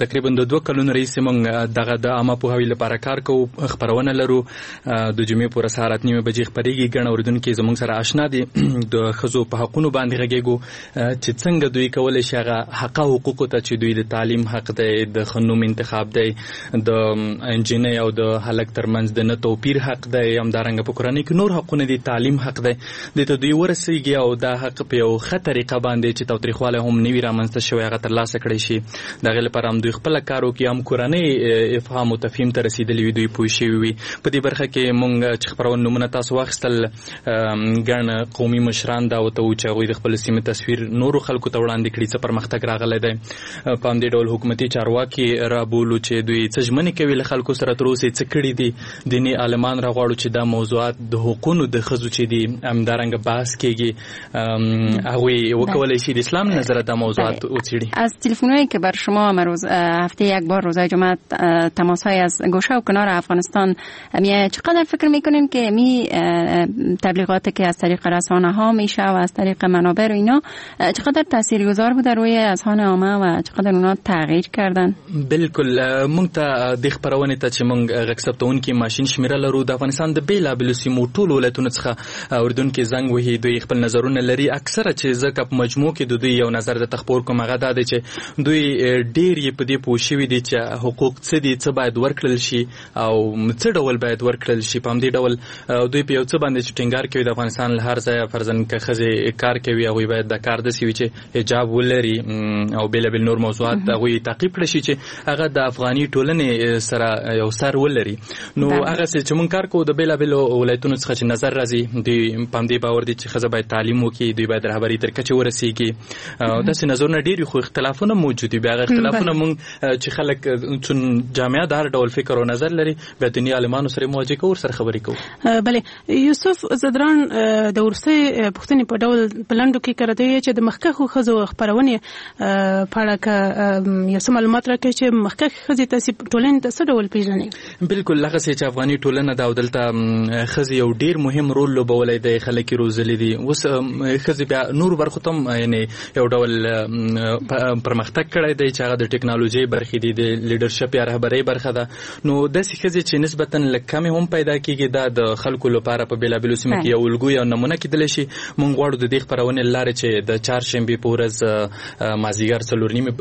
تقریبا د دوه کلونو راهیسې موږ دغه د عامه پوهاوي لپاره کار کوو، خپرونه لرو. د جمعې په ورځ سهار اته نیمې بجې خپرېږي. ګڼ اورېدونکي زموږ سره آشنا دي. د ښځو په حقونو باندې غږېږو چې څنګه دوی کولی شي هغه حقه حقوقو ته چې دوی د تعلیم حق دی، د ښه نوم انتخاب دی، د انجینۍ او د هلک ترمنځ د نه توپیر حق دی، همدارنګه په کورنۍ کې نور حقونه دي، تعلیم حق دی، دې ته دوی ورسیږي او دا حق په یو ښه طریقه باندې چې تاوتریخوالی هم نه وي رامنځته شوی هغه ترلاسه کړی شي. د هغې لپاره هم دوی خپله کار وکړي، هم کورنۍ افهام او تفهیم ته رسېدلي وي، دوی پوه شوي وي. په دې برخه کې موږ چې خپرونې نومونه تاسو واخیستل، ګڼ قومي مشران دعوتوو چې هغوی د خپل سیمې تصویر نورو خلکو ته وړاندې کړي، څه پرمختګ راغلی دی. په همدې ډول حکومتي چارواکي رابولو چې دوی څه ژمنې کوي له خلکو سره، تر اوسه یې څه کړي دي. دیني عالمان راغواړو چې دا موضوعات د حقونو د ښځو چې دي همدارنګه بحث کېږي، هغوی وکولی شي د اسلام له نظره دا موضوعات وڅېړي. از تلفن‌هایی که بر شما روز هفته یک بار روزای جمعه تماس‌های از گوشه و کنار افغانستان میاد، چقدر فکر میکنین که می تبلیغاتی که از طریق رسانه ها میشه و از طریق منابع و اینا چقدر تاثیرگذار بوده روی اذهان عامه و چقدر اونا تغییر کردن؟ بالکل، مونږ ته د خپرونې ته چې مونږ غږ ثبتوونکي ماشین شمیره لرو، د افغانستان د بېلابېلو سیمو ټولو ولایتونو څخه اورېدونکي زنګ وهي، دوی خپل نظرونه لري. اکثره چې زه که په مجموع کې د دوی یو نظر درته خپور کوم هغه دا دی چې دوی ډېر یې په دې پوه شوي دي چې حقوق څه دي، څه باید ورکړل شي او څه ډول باید ورکړل شي. په همدې ډول دوی په یو څه باندې چې ټینګار کوي، د افغانستان له هر ځایه فرضاً که ښځې کار کوي هغوی باید د کار داسې وي چې حجاب ولري او بېلابېل نور موضوعات هغوی تعقیب کړی شي چې هغه د افغاني ټولنې سره یو سر ولري. نو هغه څه چې مونږ کار کوو د بېلابېلو ولایتونو څخه چې نظر راځي، دوی په همدې باور دي چې ښځه باید تعلیم وکړي، دوی باید رهبري تر کچې ورسیږي. داسې نظرونه ډېر خو اختلافونه موجود دي. بیا هغه اختلافونه مونږ چې خلک چون جامعه د هر ډول فکر او نظر لري، بیا دیني عالمانو سره مواجهه کوو، سره خبرې کوو. بله، یوسف ځدراڼ، د وروستۍ پوښتنې په ډول په لنډو کې کړه دی چې د مخکښو ښځو خپرونې په اړه که یو څه معلومات راکړئ چې مخکښې ښځې تاسې ټولنې ته څه ډول پېژنئ؟ بالکل، هغسې چې افغاني ټولنه ده او دلته ښځې یو ډېر مهم رول لوبولی دی، خلک یې روزلي دي. اوس ښځې بیا نورو برخو ته هم یعنې یو ډول پرمختګ کړی دی چې هغه د ټکنالوژۍ برخې دي، د لیډرشپ یا رهبرۍ برخه ده. نو داسې ښځې چې نسبتاً لږ کمې هم پیدا کېږي، دا د خلکو لپاره په بېلابېلو سیمو کې یو الګو یا نمونه کېدلی شي. مونږ غواړو د دې خپرونې له لارې چې د چهارشنبې په ورځ مازدیګر څلور نیمې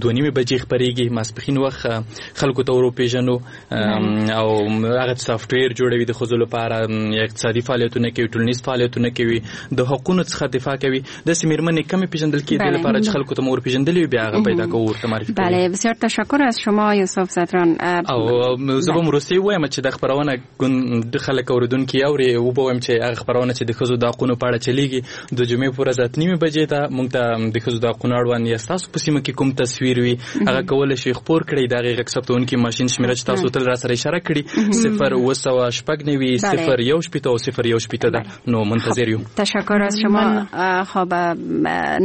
دوه نیمې بجې خپرېږي، ماسپښین وخت خلکو ته وروپېژنو او هغه سافټویر جوړوي د ښځو لپاره، اقتصادي فعالیتونه کوي، ټولنیز فعالیتونه کوي، د حقونو څخه دفاع کوي. داسې مېرمنې کمې پېژندل کېدې لپاره چې خلکو ته مو ورپېژندلې وي، بیا هغه پیدا کوو، ورته معرفي کوو. بله، بسیار تشکر از شما یوسف ځدراڼ. او زه به وروستۍ ووایم چې دا خپرونه د خلک اورېدونکي اوري، وبه وایم چې هغه خپرونه چې د ښځو د حقونو په اړه چلېږي د جمعې په ورځ اته نیمې بجې ده، موږ ته د ښځو د حقونو اړوند یا ستاسو په سیمه کې کوم تصویر وي هغه کولی شئ خپور کړئ. د هغې غږ ثبتوونکي ماشین شمېره چې تاسو تل راسره اشاره کړي صفر اووه سوه شپږ نوي صفر یو شپېته او صفر یو شپېته ده. نو منتظر یو. تشکر از شما. خب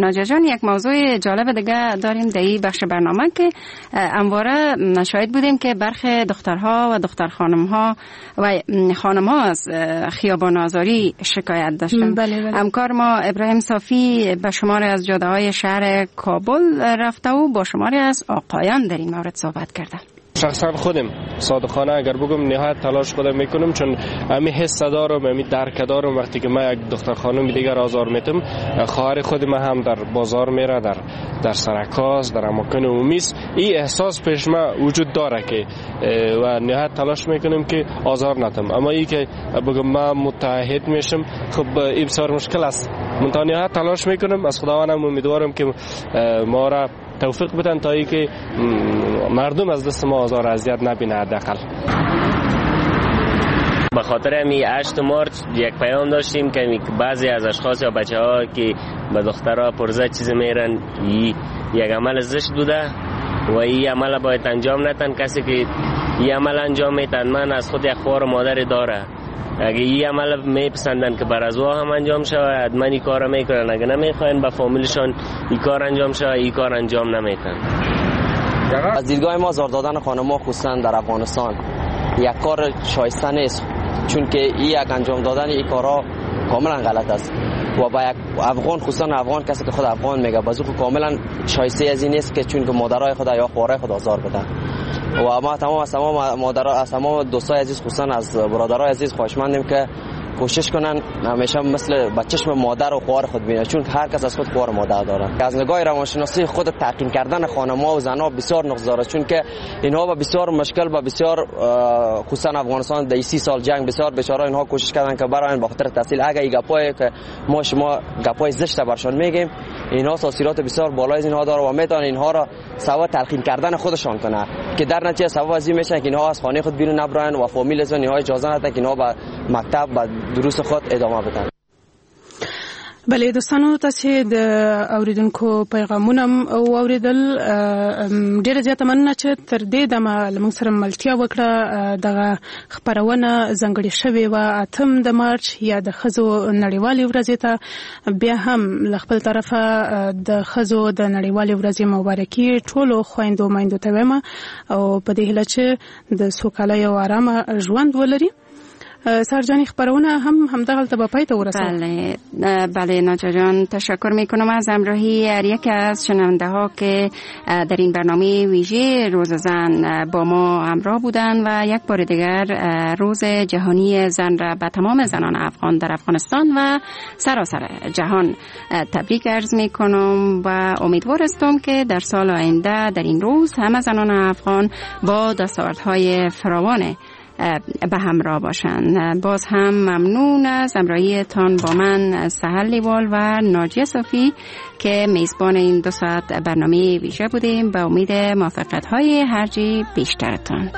ناجا جان، یک موضوع جالب دیگه داریم در این بخش برنامه که همواره شاهد بودیم که برخی دخترها و دختر خانمها و خانمها از خیابان آزاری شکایت داشتند. بله بله. همکار ما ابراهیم صافی به شماری از جاده های شهر کابل رفته و با شماری از آقایان در این مورد صحبت کرده. شخصا خودم صادقانه اگر بگم نهایت تلاش خودم میکنم، چون امی حس دارم، امی درک دارم. وقتی که من یک دختر خانم دیگر آزار میتم، خواهر خود من هم در بازار میره، در در سرکاس، در اماکن عمومی است، این احساس پیش ما وجود داره که و نهایت تلاش میکنم که آزار ندم. اما ای که بگم من متعهد میشم، خب این بسیار مشکل است. من تا نهایت تلاش میکنم، از خداوندم امیدوارم که ما را توفیق بدن تا اینکه مردم از دست ما آزار اذیت نبینه حداقل. به خاطر همی هشت مارچ یک پیام داشتیم که بعضی از اشخاص یا بچه ها که به دخترها پرزه چیز میرن یک عمل زشت بوده و این عمل باید انجام نتن. کسی که این عمل انجام میتن من از خود یک خوار و مادر داره، اگه این عمل میپسندن که بر از هم انجام شود من این کار میکنن، اگه نمیخواین به فامیلشان این کار انجام شود این کار انجام نمیتن. از دیدگاه ما آزار دادن خانم‌ها خصوصا در افغانستان یک کار شایسته نیست، چون که این یک انجام دادن این کارها کاملا غلط است و با یک افغان خصوصا افغان کسی که خود افغان میگه بازو کاملا شایسته از این نیست که چون که مادرای خود یا خواهرای خود آزار بدن. و ما تمام از تمام مادرها از تمام دوستای عزیز خصوصا از برادرای عزیز خواهشمندیم که کوشش کنن همیشه مثل با چشم مادر و خواهر خود ببینن، چون هر کس از خود خواهر مادر داره. از نگاه روانشناسی خود تحقیر کردن خانم‌ها و زن‌ها بسیار نقص داره، چون که اینها با بسیار مشکل با بسیار خصوصا افغانستان در سی سال جنگ بسیار بیچاره اینها کوشش کردن که برای به خاطر تحصیل اگه این گپای که ما شما گپای زشت برشان میگیم اینها تاثیرات بسیار بالای از اینها داره و میتونن اینها را سبب تلقین کردن خودشان کنه که در نتیجه سبب از این میشن که اینها از خانه خود بیرون نبرن و فامیل از اینها اجازه ندن که اینها به مکتب و دروس خود ادامه بدن. بله دوستانو، تاسو د اوریدونکو پیغامونه واوریدل. ډیره زیاته مننه چې تر دې دمه له موږ سره ملتیا وکړه. دغه خپرونه ځانګړې شوې وه اتم د مارچ یا د ښځو نړیوالې ورځې ته. بیا هم له خپل طرفه د ښځو د نړیوالې ورځې مبارکي ټولو خویندو میندو ته وایم او په دې هیله چې د سوکالۍ او آرامه ژوند ولري. سرجانی خبرونه هم همدغلته به پای ته ورسید. بله بله ناجا جان، تشکر میکنم از همراهی هر یک از شنونده ها که در این برنامه ویژه روز زن با ما همراه بودن و یک بار دیگر روز جهانی زن را به تمام زنان افغان در افغانستان و سراسر جهان تبریک عرض میکنم و امیدوار هستم که در سال آینده در این روز همه زنان افغان با دستاوردهای فراوان به همراه باشند. باز هم ممنون از همراهیتان با من سحر لیوال و ناجیه صافی که میزبان این دو ساعت برنامه ویژه بودیم. به امید موفقیت های هرچی بیشترتان.